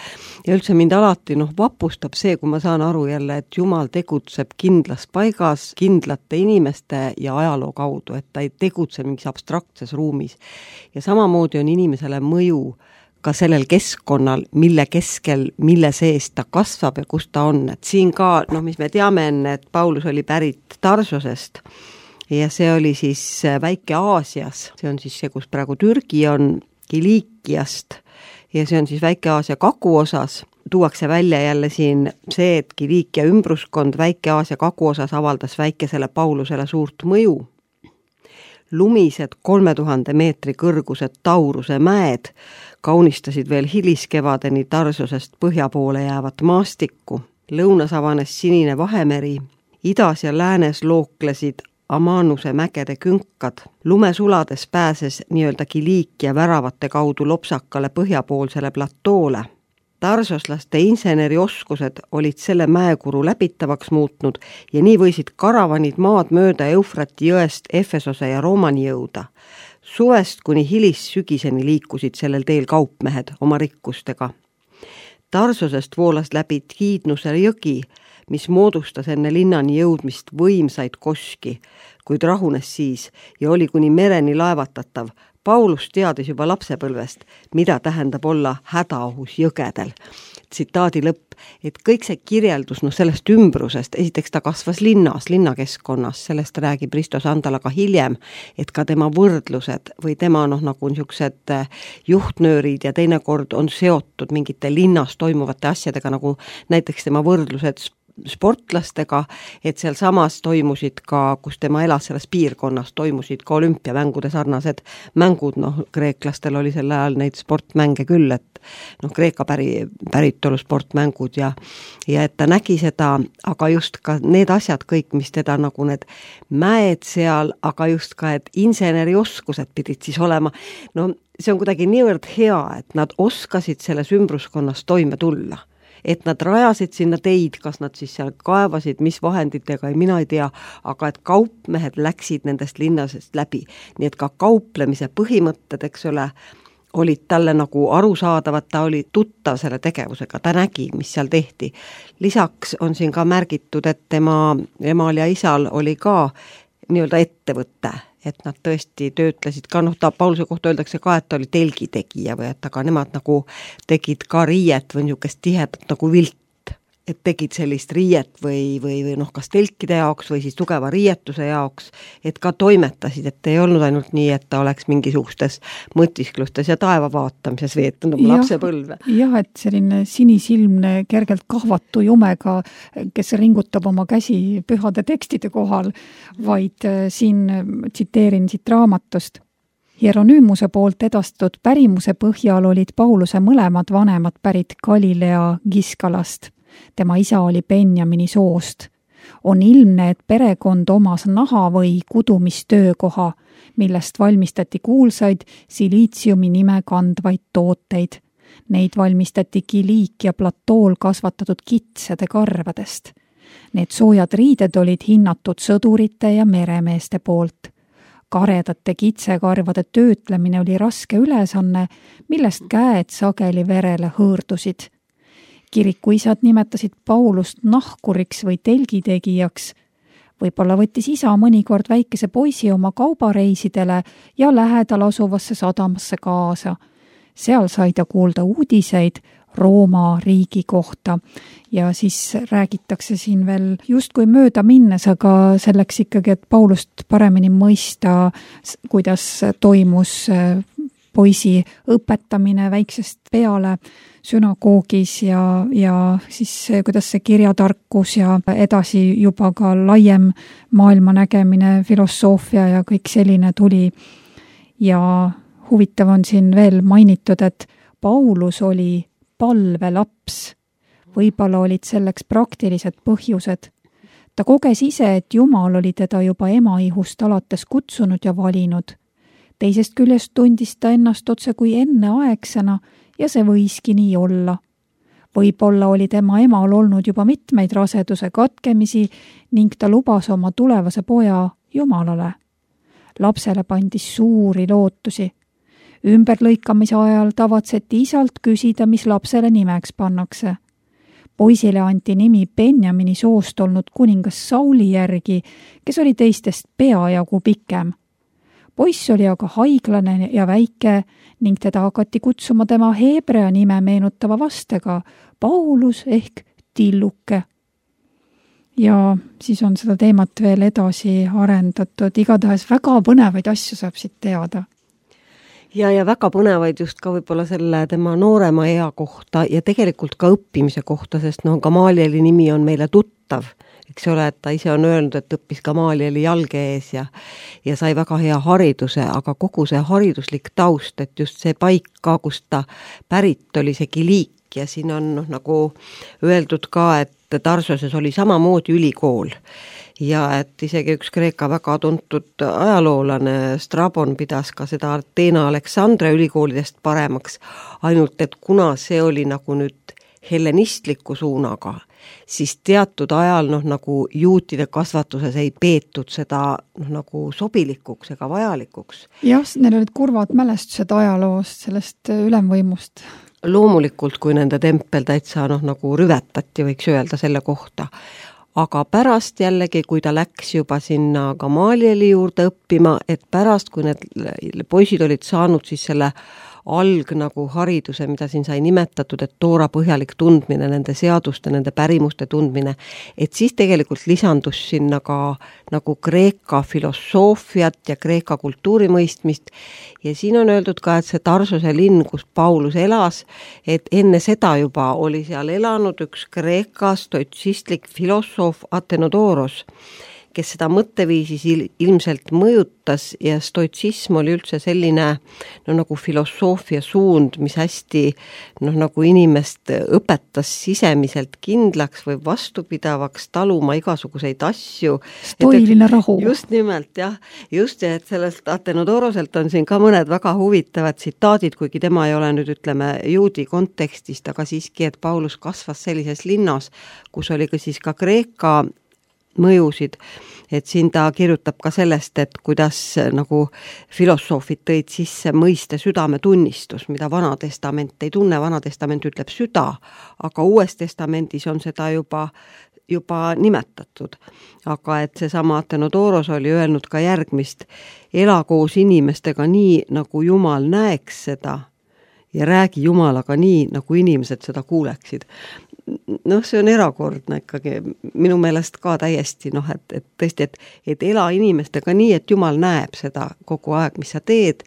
ja üldse mind alati noh, vapustab see, kui ma saan aru jälle, et Jumal tegutseb kindlas paigas, kindlate inimeste ja ajaloo kaudu, et ta ei tegutse mingis abstraktses ruumis. Ja samamoodi on inimesele mõju ka sellel keskkonnal, mille keskel, mille sees ta kasvab ja kus ta on. Et siin ka, noh, mis me teame enne, et Paulus oli pärit Tarsosest ja see oli siis väike Aasias, see on siis see, kus praegu Türgi on, Kiliikiast ja see on siis väike Aasia kaguosas. Tuuakse välja jälle siin see, et Kiliikia ümbruskond väike Aasia kaguosas avaldas väikesele Paulusele suurt mõju. Lumised kolme tuhande meetri kõrgused Tauruse mäed kaunistasid veel hiliskevadeni Tarsosest põhja poole jäävat maastikku. Lõunas avanes sinine Vahemeri, idas ja läänes looklesid Amanuse mägede künkad. Lumesulades pääses nii-öelda Kiliikia väravate kaudu lopsakale põhjapoolsele platoole. Tarsoslaste insenerioskused olid selle mäekuru läbitavaks muutnud ja nii võisid karavanid maad mööda Eufrati jõest Efesose ja Roomani jõuda. Suvest kuni hilis sügiseni liikusid sellel teel kaupmehed oma rikkustega. Tarsosest voolas läbi Kiidnuse jõgi, mis moodustas enne linnani jõudmist võimsaid koski, kuid rahunes siis ja oli kuni mereni laevatatav Paulus teadis juba lapsepõlvest, mida tähendab olla hädaohus jõgedel. Tsitaadi lõpp, et kõik see kirjeldus no sellest ümbrusest, esiteks ta kasvas linnas, linnakeskkonnas, sellest räägib Risto Sandala ka hiljem, et ka tema võrdlused või tema noh, nagu niisugused juhtnöörid ja teinekord on seotud mingite linnas toimuvate asjadega, nagu näiteks tema võrdlused sportlastega, et seal samas toimusid ka, kus tema elas selles piirkonnas, toimusid ka olümpiamängude sarnased mängud, noh, kreeklastel oli sel ajal neid sportmänge küll, et noh, Kreeka päri, päritolu sportmängud ja, ja et ta nägi seda, aga just ka need asjad kõik, mis teda nagu need mäed seal, aga just ka, et insenerioskused pidid siis olema, no see on kuidagi niivõrd hea, et nad oskasid selles ümbruskonnas toime tulla. Et nad rajasid sinna teid, kas nad siis seal kaevasid, mis vahenditega, mina ei tea, aga et kaupmehed läksid nendest linnasest läbi. Nii et ka kauplemise põhimõtted, eks ole, olid talle nagu arusaadavad, ta oli tuttav selle tegevusega, ta nägi, mis seal tehti. Lisaks on siin ka märgitud, et tema emal ja isal oli ka nii-öelda ettevõtte, et nad tõesti töötlesid ka, noh, ta Pauluse kohta öeldakse ka, et ta oli telgitegija või et aga nemad nagu tegid ka riiet või niisugust tihedat nagu vilt, et tegid sellist riiet või, või, või noh, kas telkide jaoks või siis tugeva riietuse jaoks, et ka toimetasid, et ei olnud ainult nii, et ta oleks mingisugustes mõtisklustes ja taeva vaatamises veetnud oma lapsepõlve. Jah, et selline sinisilmne, kergelt kahvatu jumega, kes ringutab oma käsi pühade tekstide kohal, vaid siin tsiteerin siit raamatust. Hieronymuse poolt edastatud pärimuse põhjal olid Pauluse mõlemad vanemad pärit Galilea Giskalast. Tema isa oli Benjamini soost. On ilmne, et perekond omas naha või kudumistöökoha, millest valmistati kuulsaid siliitsiumi nime kandvaid tooteid. Neid valmistati Kiliikia platool kasvatatud kitsede karvadest. Need soojad riided olid hinnatud sõdurite ja meremeeste poolt. Karedate kitsekarvade töötlemine oli raske ülesanne, millest käed sageli verele hõõrdusid. Kirikuisad nimetasid Paulust nahkuriks või telgitegijaks. Võib-olla võttis isa mõnikord väikese poisi oma kaubareisidele ja lähedal asuvasse sadamasse kaasa. Seal sai ta kuulda uudiseid Rooma riigi kohta ja siis räägitakse siin veel justkui mööda minnes, aga selleks ikkagi, et Paulust paremini mõista, kuidas toimus poisi õpetamine väiksest peale sünagoogis ja, ja siis kuidas see kirjatarkus ja edasi juba ka laiem maailma nägemine, filosoofia ja kõik selline tuli. Ja huvitav on siin veel mainitud, et Paulus oli palvelaps. Võib-olla olid selleks praktilised põhjused. Ta koges ise, et Jumal oli teda juba emaihust alates kutsunud ja valinud. Teisest küljest tundis ta ennast otse kui enneaegsena ja see võiski nii olla. Võib-olla oli tema emal olnud juba mitmeid raseduse katkemisi ning ta lubas oma tulevase poja Jumalale. Lapsele pandis suuri lootusi. Ümberlõikamise ajal tavatseti isalt küsida, mis lapsele nimeks pannakse. Poisile anti nimi Benjamini soost olnud kuningas Sauli järgi, kes oli teistest peajagu pikem. Poiss oli aga haiglane ja väike ning teda hakati kutsuma tema heebrea nime meenutava vastega Paulus ehk Tilluke. Ja siis on seda teemat veel edasi arendatud. Igatahes väga põnevaid asju saab siit teada. Ja, ja väga põnevaid just ka võib-olla selle tema noorema ea kohta ja tegelikult ka õppimise kohta, sest no Gamalieli nimi on meile tuttav. Eks ole, et ta ise on öelnud, et õppis Gamalieli jalge ees ja, ja sai väga hea hariduse, aga kogu see hariduslik taust, et just see paik ka, kust ta pärit oli see Kiliik ja siin on noh, nagu öeldud ka, et Tarsoses oli samamoodi ülikool ja et isegi üks Kreeka väga tuntud ajaloolane Strabon pidas ka seda Ateena Aleksandria ülikoolidest paremaks, ainult et kuna see oli nagu nüüd hellenistliku suunaga, siis teatud ajal noh, nagu juutide kasvatuses ei peetud seda noh, nagu sobilikuks ega vajalikuks. Jah, neil olid kurvad mälestused ajaloost, sellest ülemvõimust. Loomulikult, kui nende tempel täitsa noh, nagu rüvetati, võiks öelda selle kohta. aga pärast jällegi, kui ta läks juba sinna Gamalieli juurde õppima, et pärast, kui need poisid olid saanud siis selle alg nagu hariduse, mida siin sai nimetatud, et toora põhjalik tundmine, nende seaduste, nende pärimuste tundmine, et siis tegelikult lisandus sinna ka nagu Kreeka filosoofiat ja Kreeka kultuurimõistmist ja siin on öeldud ka, et see Tarsuse linn, kus Paulus elas, et enne seda juba oli seal elanud üks Kreeka stoitsistlik filosoof Athenodoros, kes seda mõtteviisis ilmselt mõjutas ja stoitsism oli üldse selline no, nagu filosoofia suund, mis hästi noh, nagu inimest õpetas sisemiselt kindlaks või vastupidavaks taluma igasuguseid asju. Stoiline rahu. Just nimelt, jah. Just, et sellest Athenodoroselt on siin ka mõned väga huvitavad tsitaadid, kuigi tema ei ole nüüd ütleme juudi kontekstist, aga siiski, et Paulus kasvas sellises linnas, kus oli ka siis ka Kreeka mõjusid, et siin ta kirjutab ka sellest, et kuidas nagu filosoofid tõid sisse mõiste südametunnistus, mida Vanatestament ei tunne, Vanatestament ütleb süda, aga Uues Testamendis on seda juba, juba nimetatud. Aga et seesama Athenodoros oli öelnud ka järgmist, ela koos inimestega nii, nagu Jumal näeks seda ja räägi Jumalaga nii, nagu inimesed seda kuuleksid. Noh, see on erakordne ikkagi, minu meelest ka täiesti, noh, et, et tõesti, et, et ela inimestega nii, et Jumal näeb seda kogu aeg, mis sa teed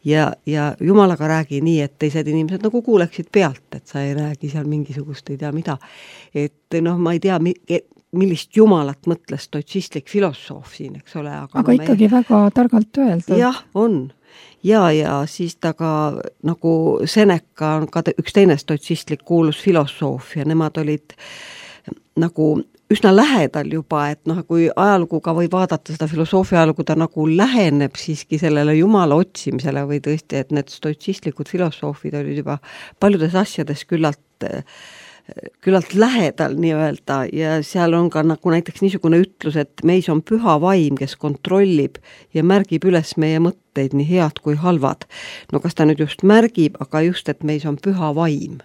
ja, ja Jumalaga räägi nii, et teised inimesed nagu kuuleksid pealt, et sa ei räägi seal mingisugust, ei tea mida. Et noh, ma ei tea, millist Jumalat mõtles stoitsistlik filosoof siin, eks ole. Aga, aga no ikkagi me... väga targalt öeldud. Jah, on. Ja, ja siis ta ka nagu Seneca on ka üks teine stoitsistlik kuulus filosoof ja nemad olid nagu üsna lähedal juba, et noh, kui ajaluguga või vaadata seda filosoofia ajalugu, ta nagu läheneb siiski sellele Jumala otsimisele või tõesti, et need stoitsistlikud filosoofid olid juba paljudes asjades küllalt küllalt lähedal nii-öelda ja seal on ka nagu näiteks niisugune ütlus, et meis on püha vaim, kes kontrollib ja märgib üles meie mõtteid nii head kui halvad. No kas ta nüüd just märgib, aga just, et meis on püha vaim.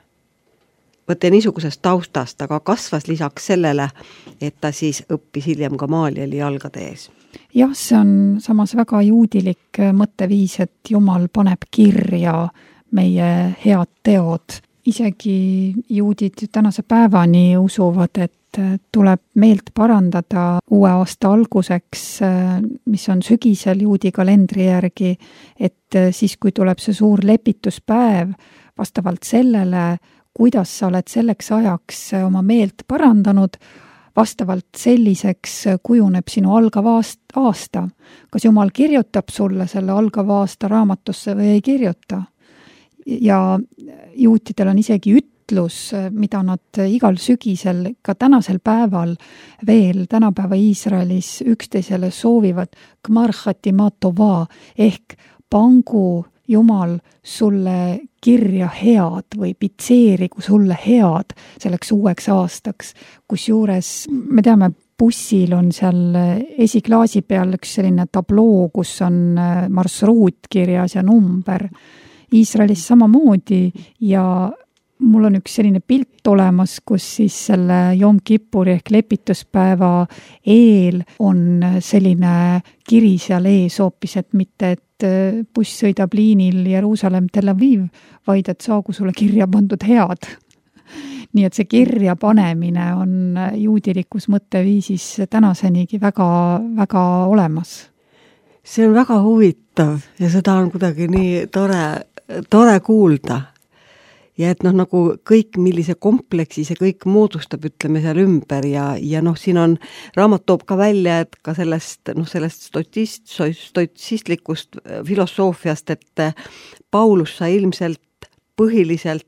Võtte niisugusest taustast, aga kasvas lisaks sellele, et ta siis õppis hiljem Gamalieli jalgade ees. Jah, see on samas väga juudilik mõtteviis, et Jumal paneb kirja meie head teod. Isegi juudid tänase päevani usuvad, et tuleb meelt parandada uue aasta alguseks, mis on sügisel juudi kalendri järgi, et siis, kui tuleb see suur lepituspäev, vastavalt sellele, kuidas sa oled selleks ajaks oma meelt parandanud, vastavalt selliseks kujuneb sinu algav aasta. Kas Jumal kirjutab sulle selle algav aasta raamatusse või ei kirjuta? Ja juutidel on isegi ütlus, mida nad igal sügisel, ka tänasel päeval veel tänapäeva Iisraelis üksteisele soovivad Gmar Hatima Tova ehk pangu Jumal sulle kirja head või pitseerigu sulle head selleks uueks aastaks, kus juures me teame, bussil on seal esiklaasi peal üks selline tabloo, kus on marsruut kirjas ja number. Iisraelis samamoodi ja mul on üks selline pilt olemas, kus siis selle Jom Kippuri ehk lepituspäeva eel on selline kiri seal ees hoopis, et mitte, et buss sõidab liinil Jeruusalemm Tel Aviv, vaid et saagu sulle kirja pandud head. Nii et see kirja panemine on juudilikus mõtteviisis tänasenigi väga, väga olemas. See on väga huvitav ja seda on kuidagi nii tore, tore kuulda. Ja et noh, nagu kõik, millise kompleksi see kõik moodustab, ütleme seal ümber ja, ja noh, siin on, raamat toob ka välja, et ka sellest, noh, sellest stoitsist, stoitsistlikust filosoofiast, et Paulus sai ilmselt põhiliselt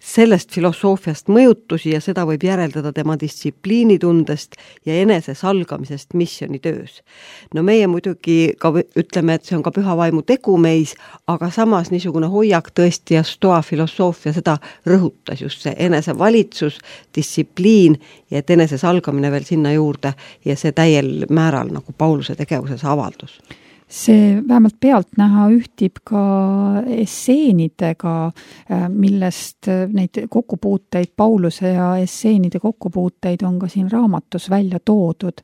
sellest filosoofiast mõjutusi ja seda võib järeldada tema distsipliinitundest ja enese salgamisest missionitöös. No meie muidugi ka ütleme, et see on ka püha vaimu tegu meis, aga samas niisugune hoiak tõesti ja stoa filosoofia seda rõhutas just see enese valitsus, distsipliin ja et enese salgamine veel sinna juurde ja see täiel määral nagu Pauluse tegevuses avaldus. see vähemalt pealtnäha ühtib ka esseenidega, millest neid kokkupuuteid, Pauluse ja esseenide kokkupuuteid on ka siin raamatus välja toodud.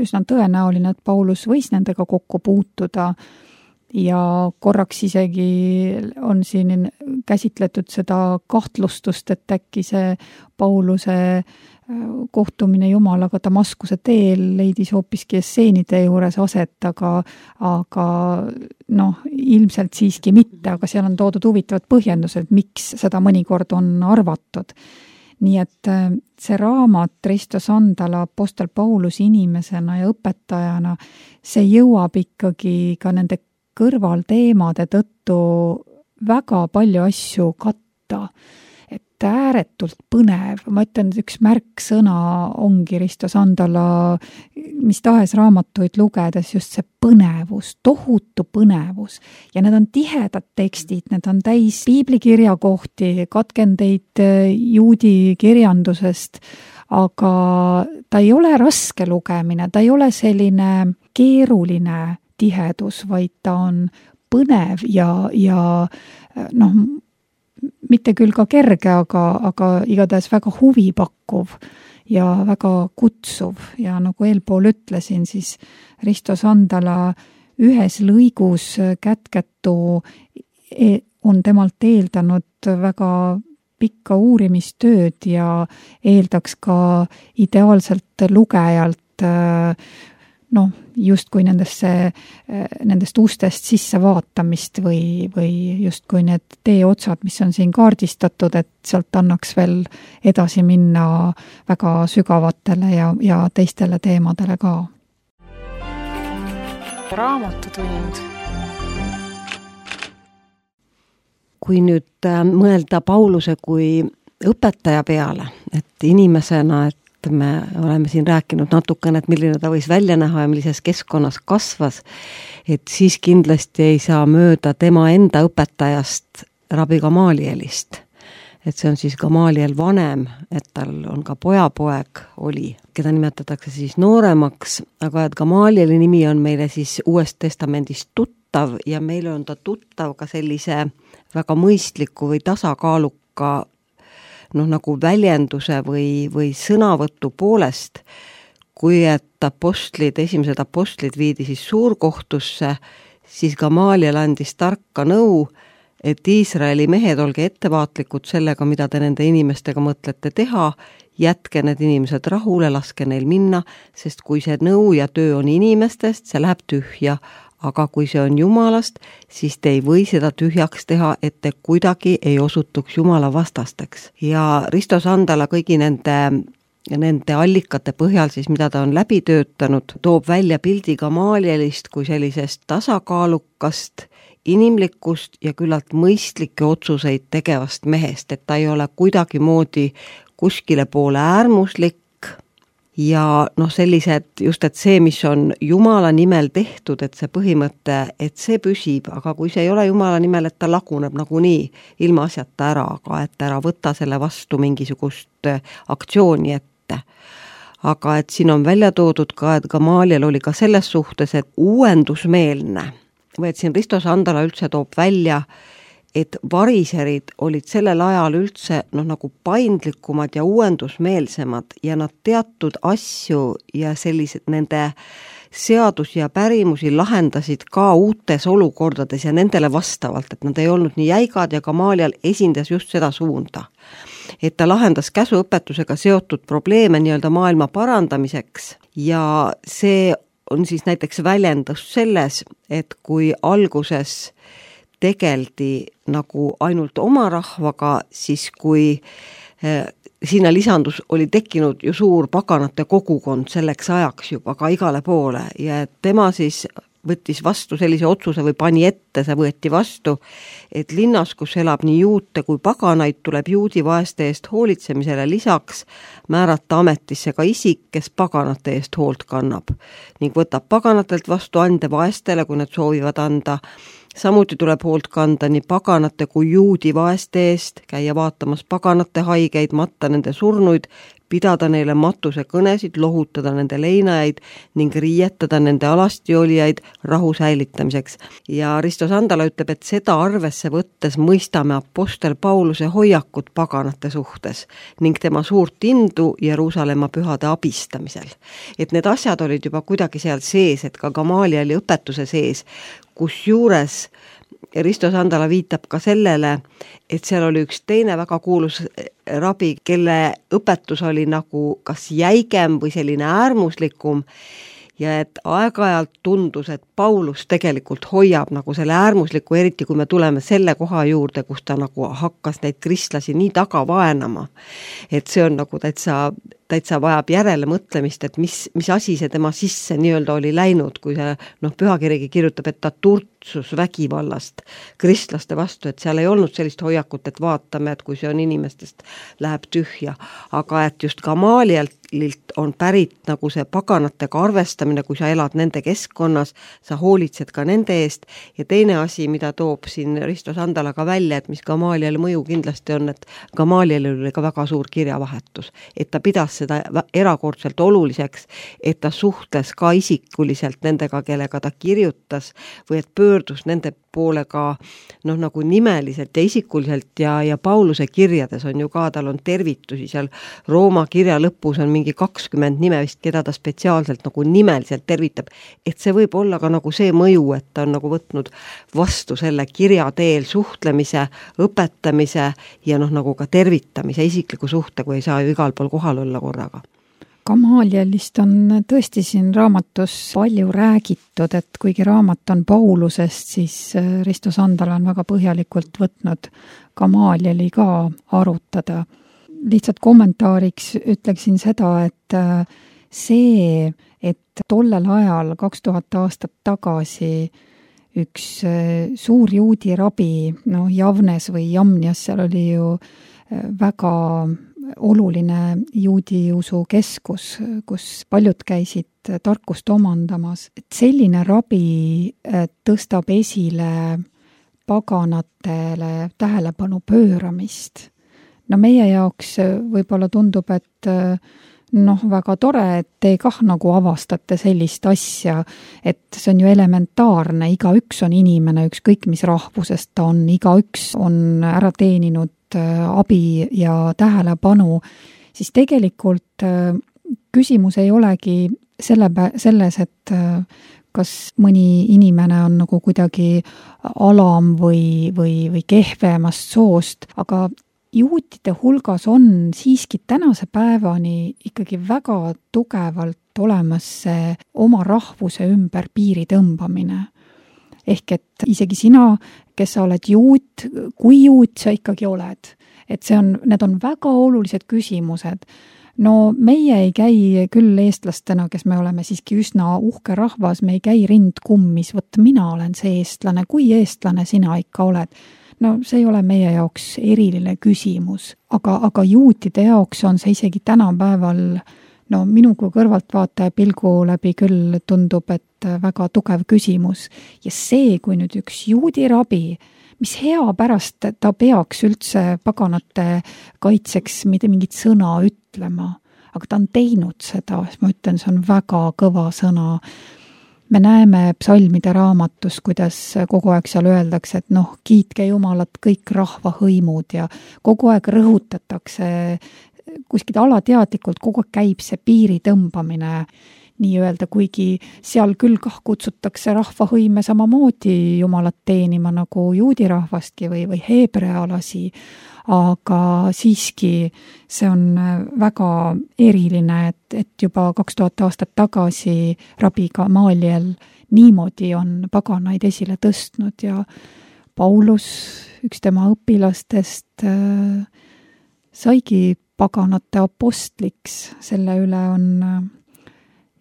Üsna tõenäoline, et Paulus võis nendega kokku puutuda ja korraks isegi on siin käsitletud seda kahtlustust, et äkki see Pauluse kohtumine Jumalaga Damaskuse teel leidis hoopiski esseenide juures aset, aga, aga noh, ilmselt siiski mitte, aga seal on toodud huvitavad põhjendused, miks seda mõnikord on arvatud. Nii et see raamat Risto Sandala Apostel Paulus inimesena ja õpetajana, see jõuab ikkagi ka nende kõrvalteemade tõttu väga palju asju katta. Et ääretult põnev, ma ütlen, et üks märksõna ongi Risto Sandala mis tahes raamatuid lugedes just see põnevus, tohutu põnevus. Ja need on tihedad tekstid, need on täis piiblikirjakohti, katkendeid juudi kirjandusest, aga ta ei ole raske lugemine, ta ei ole selline keeruline tihedus, vaid ta on põnev ja, ja noh, mitte küll ka kerge, aga, aga igatahes väga huvipakkuv ja väga kutsuv. Ja nagu eelpool ütlesin, siis Risto Sandala ühes lõigus kätketu on temalt eeldanud väga pikka uurimistööd ja eeldaks ka ideaalselt lugejalt noh, justkui nendesse, nendest ustest sisse vaatamist või, või justkui need teeotsad, mis on siin kaardistatud, et sealt annaks veel edasi minna väga sügavatele ja, ja teistele teemadele ka. Raamatutund. Kui nüüd mõelda Pauluse kui õpetaja peale, et inimesena, et me oleme siin rääkinud natukene, et milline ta võis välja näha ja millises keskkonnas kasvas, et siis kindlasti ei saa mööda tema enda õpetajast Rabbi Gamalielist. Et see on siis Gamaliel vanem, et tal on ka pojapoeg oli, keda nimetatakse siis nooremaks, aga et Gamalieli nimi on meile siis Uuest Testamendist tuttav ja meile on ta tuttav ka sellise väga mõistliku või tasakaaluka noh, nagu väljenduse või, või sõnavõtu poolest, kui et apostlid, esimesed apostlid viidi siis suurkohtusse, siis Gamaliel andis tarka nõu, et Iisraeli mehed, olge ettevaatlikud sellega, mida te nende inimestega mõtlete teha, jätke need inimesed rahule, laske neil minna, sest kui see nõu ja töö on inimestest, see läheb tühja, aga kui see on Jumalast, siis te ei või seda tühjaks teha, et te kuidagi ei osutuks Jumala vastasteks. Ja Risto Sandala kõigi nende, nende allikate põhjal, siis mida ta on läbi töötanud, toob välja pildi Gamalielist kui sellisest tasakaalukast, inimlikust ja küllalt mõistlikke otsuseid tegevast mehest, et ta ei ole kuidagi moodi kuskile poole äärmuslik, ja noh, sellised just, et see, mis on Jumala nimel tehtud, et see põhimõte, et see püsib, aga kui see ei ole Jumala nimel, et ta laguneb nagunii ilma asjata ära, aga et ära võta selle vastu mingisugust aktsiooni ette. Aga et siin on välja toodud ka, et Gamaliel oli ka selles suhtes, et uuendusmeelne, või et siin Risto Sandala üldse toob välja, et variserid olid sellel ajal üldse noh, nagu paindlikumad ja uuendusmeelsemad ja nad teatud asju ja sellised nende seadusi ja pärimusi lahendasid ka uutes olukordades ja nendele vastavalt, et nad ei olnud nii jäigad ja Gamaliel esindas just seda suunda. Et ta lahendas käsuõpetusega seotud probleeme nii-öelda maailma parandamiseks ja see on siis näiteks väljendus selles, et kui alguses tegeldi nagu ainult oma rahvaga, siis kui eh, sinna lisandus oli tekkinud ju suur paganate kogukond selleks ajaks juba ka igale poole ja tema siis võttis vastu sellise otsuse või pani ette, see võeti vastu, et linnas, kus elab nii juute kui paganaid, tuleb juudi vaeste eest hoolitsemisele lisaks määrata ametisse ka isik, kes paganate eest hoolt kannab ning võtab paganatelt vastu ande vaestele, kui nad soovivad anda. Samuti tuleb hoolt kanda nii paganate kui juudi vaeste eest, käia vaatamas paganate haigeid, matta nende surnuid, pidada neile matusekõnesid, lohutada nende leinajaid ning riietada nende alasti olijaid rahu säilitamiseks. Ja Risto Sandala ütleb, et seda arvesse võttes mõistame apostel Pauluse hoiakut paganate suhtes ning tema suurt indu Jeruusalemma pühade abistamisel. Et need asjad olid juba kuidagi seal sees, et ka Gamalieli õpetuse sees, kus juures Risto Sandala viitab ka sellele, et seal oli üks teine väga kuulus rabi, kelle õpetus oli nagu kas jäigem või selline äärmuslikum ja et aeg-ajalt tundus, et Paulus tegelikult hoiab nagu selle äärmusliku, eriti kui me tuleme selle koha juurde, kus ta nagu hakkas neid kristlasi nii taga vaenama. Et see on nagu täitsa, täitsa vajab järele mõtlemist, et mis, mis asi see tema sisse nii-öelda oli läinud, kui see noh, pühakirigi kirjutab, et ta turtsus vägivallast kristlaste vastu, et seal ei olnud sellist hoiakut, et vaatame, et kui see on inimestest, läheb tühja. Aga et just Gamalielt on pärit nagu see paganatega arvestamine, kui sa elad nende keskkonnas, sa hoolitsed ka nende eest. Ja teine asi, mida toob siin Risto Sandala ka välja, et mis Gamalieli mõju kindlasti on, et Gamalieli oli ka väga suur kirjavahetus. Et ta pidas seda erakordselt oluliseks, et ta suhtles ka isikuliselt nendega, kellega ta kirjutas või et pöördus nende poole ka noh, nagu nimeliselt ja isikuliselt ja, ja Pauluse kirjades on ju ka, tal on tervitusi seal Rooma kirja lõpus on mingi kakskümmend nime vist, keda ta spetsiaalselt nagu nimeliselt tervitab, et see võib olla ka nagu see mõju, et ta on nagu võtnud vastu selle kirja teel suhtlemise, õpetamise ja noh, nagu ka tervitamise isikliku suhte, kui ei saa ju igal pool kohal olla korraga. Gamalielist on tõesti siin raamatus palju räägitud, et kuigi raamat on Paulusest, siis Risto Sandala on väga põhjalikult võtnud Gamalieli ka arutada. Lihtsalt kommentaariks ütleksin seda, et see, et tollel ajal kaks tuhat aastat tagasi üks suur juudi rabi, no Javnes või Jamnias, seal oli ju väga oluline juudi usu keskus, kus paljud käisid tarkust omandamas. Et selline rabi tõstab esile paganatele tähelepanu pööramist. No meie jaoks võib-olla tundub, et noh, väga tore, et te kah nagu avastate sellist asja, et see on ju elementaarne, igaüks on inimene, ükskõik mis rahvusest ta on, igaüks on ära teeninud abi ja tähelepanu, siis tegelikult küsimus ei olegi selle, selles, et kas mõni inimene on nagu kuidagi alam või, või, või kehvemast soost, aga juutide hulgas on siiski tänase päevani ikkagi väga tugevalt olemas see oma rahvuse ümber piiri tõmbamine. Ehk et isegi sina, kes sa oled juut, kui juut sa ikkagi oled. Et see on, need on väga olulised küsimused. No meie ei käi küll eestlastena, kes me oleme siiski üsna uhke rahvas, me ei käi rind kummis, võt mina olen see eestlane, kui eestlane sina ikka oled. No see ei ole meie jaoks eriline küsimus, aga, aga juutide jaoks on see isegi tänapäeval, no minu kui kõrvaltvaataja pilgu läbi küll tundub, et väga tugev küsimus. Ja see, kui nüüd üks juudi rabi, mis hea pärast ta peaks üldse paganate kaitseks mitte mingit sõna ütlema, aga ta on teinud seda, ma ütlen, see on väga kõva sõna. Me näeme psalmide raamatus, kuidas kogu aeg seal öeldakse, et noh, kiitke Jumalat kõik rahvahõimud ja kogu aeg rõhutatakse, kuskilt alateadlikult kogu aeg käib see piiri tõmbamine, nii öelda, kuigi seal küll kah kutsutakse rahvahõime samamoodi Jumalat teenima nagu juudi rahvastki või, või heebrealasi, aga siiski see on väga eriline, et, et juba kaks tuhat aastat tagasi rabi Gamaliel niimoodi on paganaid esile tõstnud ja Paulus, üks tema õpilastest, saigi paganate apostliks, selle üle on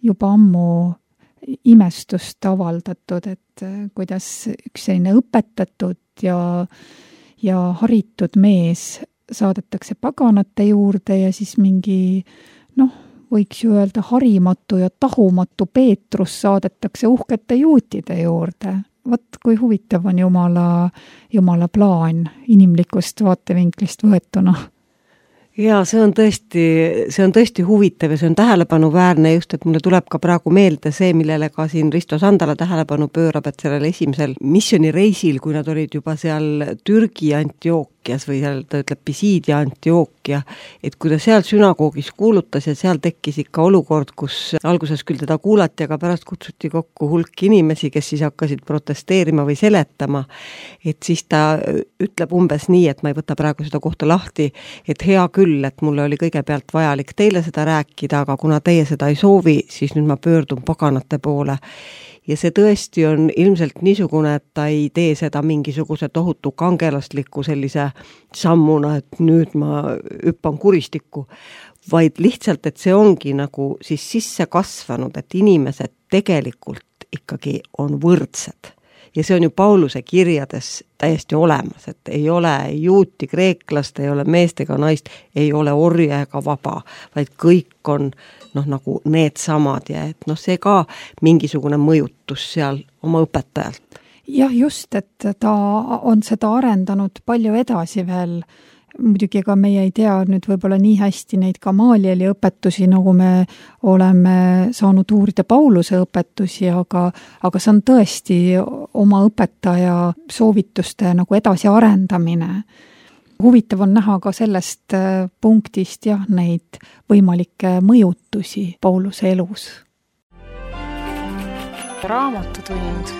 juba ammu imestust avaldatud, et kuidas üks selline õpetatud ja, ja haritud mees saadetakse paganate juurde ja siis mingi, noh, võiks ju öelda harimatu ja tahumatu Peetrus saadetakse uhkete juutide juurde. Vot kui huvitav on Jumala, Jumala plaan inimlikust vaatevinklist võetuna. Jaa, see on tõesti, see on tõesti huvitav ja see on tähelepanuväärne just, et mulle tuleb ka praegu meelde see, millele ka siin Risto Sandala tähelepanu pöörab, et sellel esimesel missioonireisil, kui nad olid juba seal Türgi Antiookias või seal ta ütleb Pisiidia Antiookia, et kui ta seal sünagoogis kuulutas ja seal tekkis ikka olukord, kus alguses küll teda kuulati, aga pärast kutsuti kokku hulk inimesi, kes siis hakkasid protesteerima või seletama, et siis ta ütleb umbes nii, et ma ei võta praegu seda kohta lahti, et hea küll, et mulle oli kõigepealt vajalik teile seda rääkida, aga kuna teie seda ei soovi, siis nüüd ma pöördun paganate poole. Ja see tõesti on ilmselt niisugune, et ta ei tee seda mingisuguse tohutu kangelasliku sellise sammuna, et nüüd ma hüppan kuristikku, vaid lihtsalt, et see ongi nagu siis sisse kasvanud, et inimesed tegelikult ikkagi on võrdsed. Ja see on ju Pauluse kirjades täiesti olemas, et ei ole juuti kreeklast, ei ole meest ega naist, ei ole orja ega vaba, vaid kõik on noh, nagu need samad ja et noh, see ka mingisugune mõjutus seal oma õpetajalt. Jah, just, et ta on seda arendanud palju edasi veel. Muidugi ega meie ei tea nüüd võib-olla nii hästi neid Gamalieli õpetusi, nagu me oleme saanud uurida Pauluse õpetusi, aga, aga see on tõesti oma õpetaja soovituste nagu edasi arendamine. Huvitav on näha ka sellest punktist jah, neid võimalikke mõjutusi Pauluse elus. Raamatutund.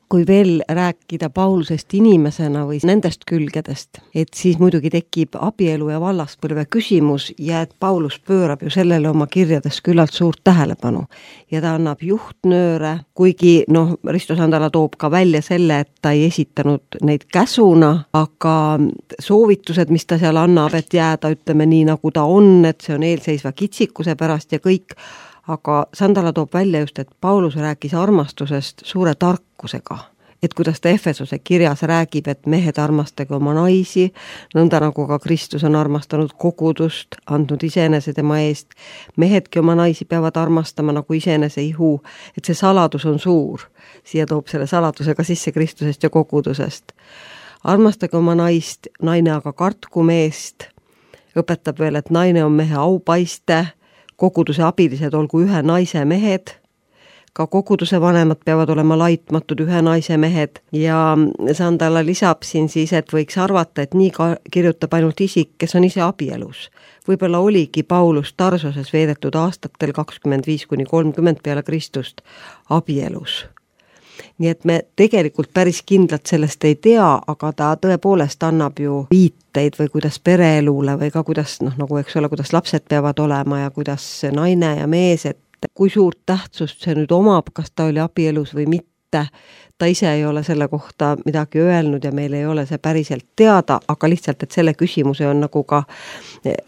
Kui veel rääkida Paulusest inimesena või nendest külgedest, et siis muidugi tekib abielu ja vallaspõlve küsimus ja et Paulus pöörab ju sellele oma kirjades küllalt suurt tähelepanu. Ja ta annab juhtnööre, kuigi noh, Risto Sandala toob ka välja selle, et ta ei esitanud neid käsuna, aga soovitused, mis ta seal annab, et jääda ütleme nii nagu ta on, et see on eelseisva kitsikuse pärast ja kõik, aga Sandala toob välja just, et Paulus rääkis armastusest suure tarkusega, et kuidas ta Efesuse kirjas räägib, et mehed armastage oma naisi, nõnda nagu ka Kristus on armastanud kogudust, andnud iseenese tema eest, mehedki oma naisi peavad armastama nagu iseenese ihu, et see saladus on suur, siia toob selle saladusega sisse Kristusest ja kogudusest. Armastage oma naist, naine aga kartku meest, õpetab veel, et naine on mehe aupaiste, koguduse abilised olgu ühe naise mehed, ka koguduse vanemad peavad olema laitmatud ühe naise mehed ja Sandala lisab siin siis, et võiks arvata, et nii ka kirjutab ainult isik, kes on ise abielus. Võib-olla oligi Paulus Tarsoses veedetud aastatel kakskümmend viis kuni kolmkümmend peale Kristust abielus. Nii et me tegelikult päris kindlalt sellest ei tea, aga ta tõepoolest annab ju viiteid või kuidas pereelule või ka kuidas, noh, nagu eks ole, kuidas lapsed peavad olema ja kuidas naine ja mees, et kui suurt tähtsust see nüüd omab, kas ta oli abielus või mitte. Ta ise ei ole selle kohta midagi öelnud ja meil ei ole see päriselt teada, aga lihtsalt, et selle küsimuse on nagu ka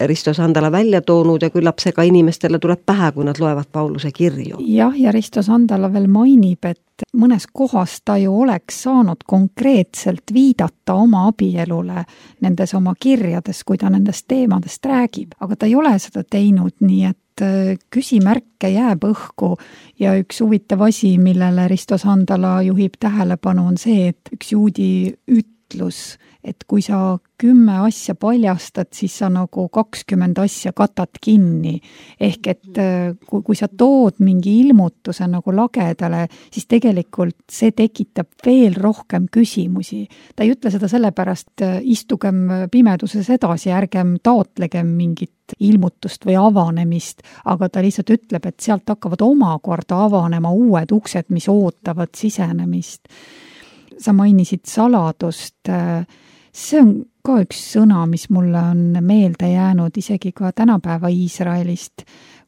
Risto Sandala välja toonud ja küllap see ka inimestele tuleb pähe, kui nad loevad Pauluse kirju. Jah, ja Risto Sandala veel mainib, et mõnes kohas ta ju oleks saanud konkreetselt viidata oma abielule nendes oma kirjades, kui ta nendest teemadest räägib, aga ta ei ole seda teinud, nii et küsimärke jääb õhku ja üks huvitav asi, millele Risto Sandala juhib tähelepanu, on see, et üks juudi ütlus, et kui sa kümme asja paljastad, siis sa nagu kakskümmend asja katad kinni. Ehk et kui, kui sa tood mingi ilmutuse nagu lagedale, siis tegelikult see tekitab veel rohkem küsimusi. Ta ei ütle seda sellepärast, istugem pimeduses edasi, ärgem taotlegem mingit ilmutust või avanemist, aga ta lihtsalt ütleb, et sealt hakkavad omakorda avanema uued uksed, mis ootavad sisenemist. Sa mainisid saladust, see on ka üks sõna, mis mulle on meelde jäänud isegi ka tänapäeva Iisraelist.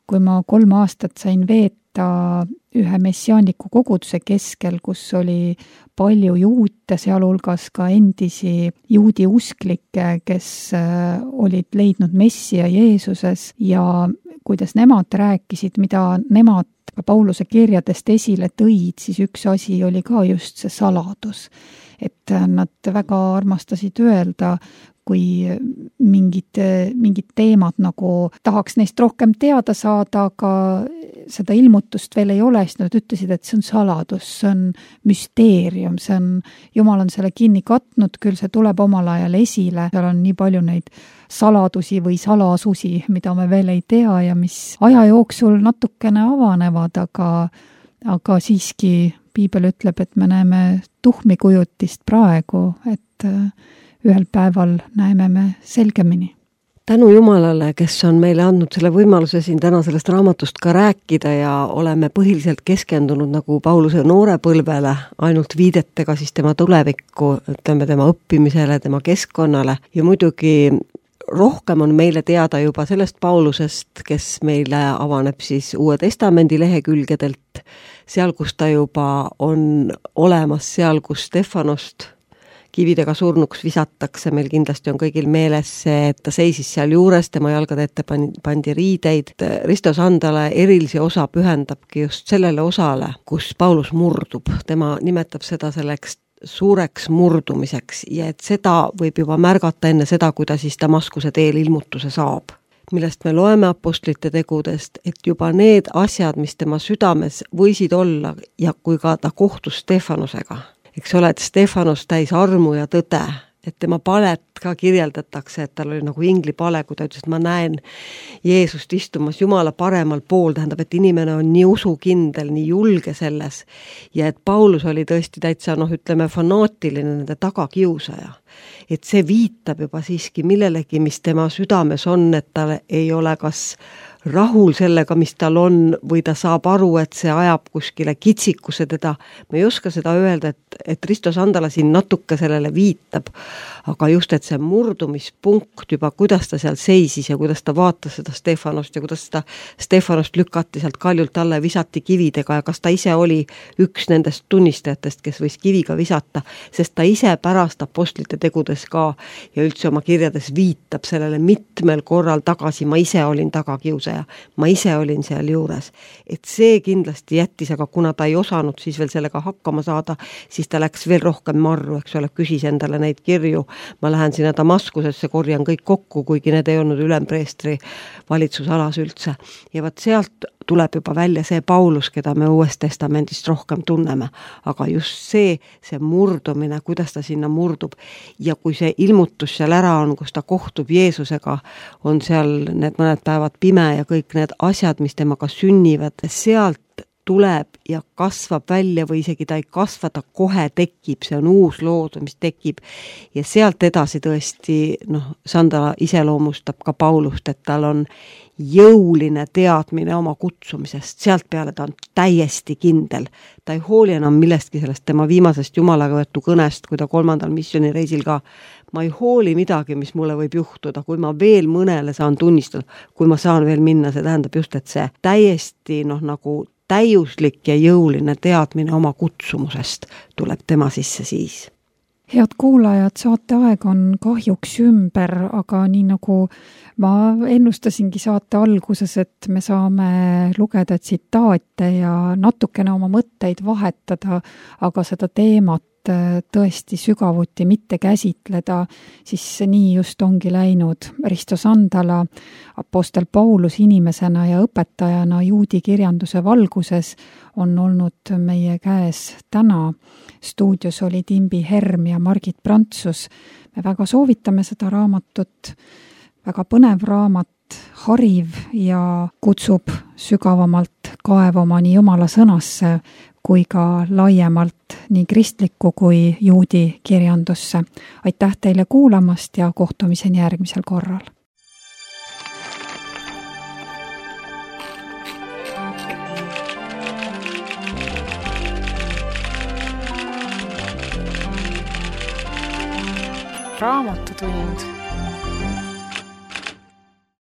Kui ma kolm aastat sain veeta ühe messiaanliku koguduse keskel, kus oli palju juute, sealhulgas ka endisi juudi usklikke, kes olid leidnud Messia Jeesuses ja kuidas nemad rääkisid, mida nemad Pauluse kirjadest esile tõid, siis üks asi oli ka just see saladus. Et nad väga armastasid öelda, kui mingid, mingid teemad nagu tahaks neist rohkem teada saada, aga seda ilmutust veel ei ole, siis nad ütlesid, et see on saladus, see on müsteerium, see on, Jumal on selle kinni katnud, küll see tuleb omal ajal esile, seal on nii palju neid saladusi või salasusi, mida me veel ei tea ja mis aja jooksul natukene avanevad, aga, aga siiski piibel ütleb, et me näeme tuhmikujutist praegu, et ühel päeval näeme me selgemini. Tänu Jumalale, kes on meile andnud selle võimaluse siin täna sellest raamatust ka rääkida ja oleme põhiliselt keskendunud nagu Pauluse noorepõlvele, ainult viidetega siis tema tulevikku, ütleme tema õppimisele, tema keskkonnale ja muidugi rohkem on meile teada juba sellest Paulusest, kes meile avaneb siis Uue Testamendi lehekülgedelt, seal, kus ta juba on olemas, seal, kus Stefanost kividega surnuks visatakse, meil kindlasti on kõigil meeles see, et ta seisis seal juures, tema jalgade ette pandi riideid. Risto Sandala erilise osa pühendabki just sellele osale, kus Paulus murdub. Tema nimetab seda selleks suureks murdumiseks ja et seda võib juba märgata enne seda, kui ta siis Damaskuse teel ilmutuse saab, millest me loeme apostlite tegudest, et juba need asjad, mis tema südames võisid olla ja kui ka ta kohtus Stefanusega, eks ole, et Stefanos täis armu ja tõde, et tema palet ka kirjeldatakse, et tal oli nagu ingli pale, kui ta ütles, et ma näen Jeesust istumas Jumala paremal pool, tähendab, et inimene on nii usukindel, nii julge selles ja et Paulus oli tõesti täitsa, noh, ütleme, fanaatiline nende tagakiusaja. Et see viitab juba siiski millelegi, mis tema südames on, et tal ei ole kas rahul sellega, mis tal on, või ta saab aru, et see ajab kuskile kitsikuse teda. Ma ei oska seda öelda, et, et Risto Sandala siin natuke sellele viitab, aga just, et see murdumispunkt juba, kuidas ta seal seisis ja kuidas ta vaatas seda Stefanost ja kuidas ta Stefanost lükati sealt kaljult alla ja visati kividega ja kas ta ise oli üks nendest tunnistajatest, kes võis kiviga visata, sest ta ise pärast apostlite tegudes ka ja üldse oma kirjades viitab sellele mitmel korral tagasi, ma ise olin tagakiusaja. Ma ise olin seal juures, et see kindlasti jättis, aga kuna ta ei osanud siis veel sellega hakkama saada, siis ta läks veel rohkem marru, eks ole, küsis endale neid kirju, ma lähen sinna Damaskusesse, korjan kõik kokku, kuigi need ei olnud ülempreestri valitsusalas üldse. Ja vaat sealt tuleb juba välja see Paulus, keda me Uuest Testamendist rohkem tunneme, aga just see, see murdumine, kuidas ta sinna murdub ja kui see ilmutus seal ära on, kus ta kohtub Jeesusega, on seal need mõned päevad pime ja kõik need asjad, mis temaga sünnivad, sealt tuleb ja kasvab välja või isegi ta ei kasva, ta kohe tekib, see on uus loodus, mis tekib ja sealt edasi tõesti, noh, Sandala iseloomustab ka Paulust, et tal on jõuline teadmine oma kutsumisest, sealt peale ta on täiesti kindel. Ta ei hooli enam millestki sellest tema viimasest Jumalaga võetu kõnest, kui ta kolmandal missioonireisil ka, ma ei hooli midagi, mis mulle võib juhtuda, kui ma veel mõnele saan tunnistada, kui ma saan veel minna, see tähendab just, et see täiesti, noh, nagu täiuslik ja jõuline teadmine oma kutsumusest tuleb tema sisse siis. Head kuulajad, saate aeg on kahjuks ümber, aga nii nagu ma ennustasingi saate alguses, et me saame lugeda tsitaate ja natukene oma mõtteid vahetada, aga seda teemat tõesti sügavuti mitte käsitleda, siis nii just ongi läinud. Risto Sandala, apostel Paulus inimesena ja õpetajana juudi kirjanduse valguses on olnud meie käes täna. Stuudios olid Imbi Herm ja Margit Prantsus. Me väga soovitame seda raamatut, väga põnev raamat, hariv ja kutsub sügavamalt kaevama nii Jumala sõnasse kui ka laiemalt nii kristlikku kui juudi kirjandusse. Aitäh teile kuulamast ja kohtumiseni järgmisel korral. Raamatutund.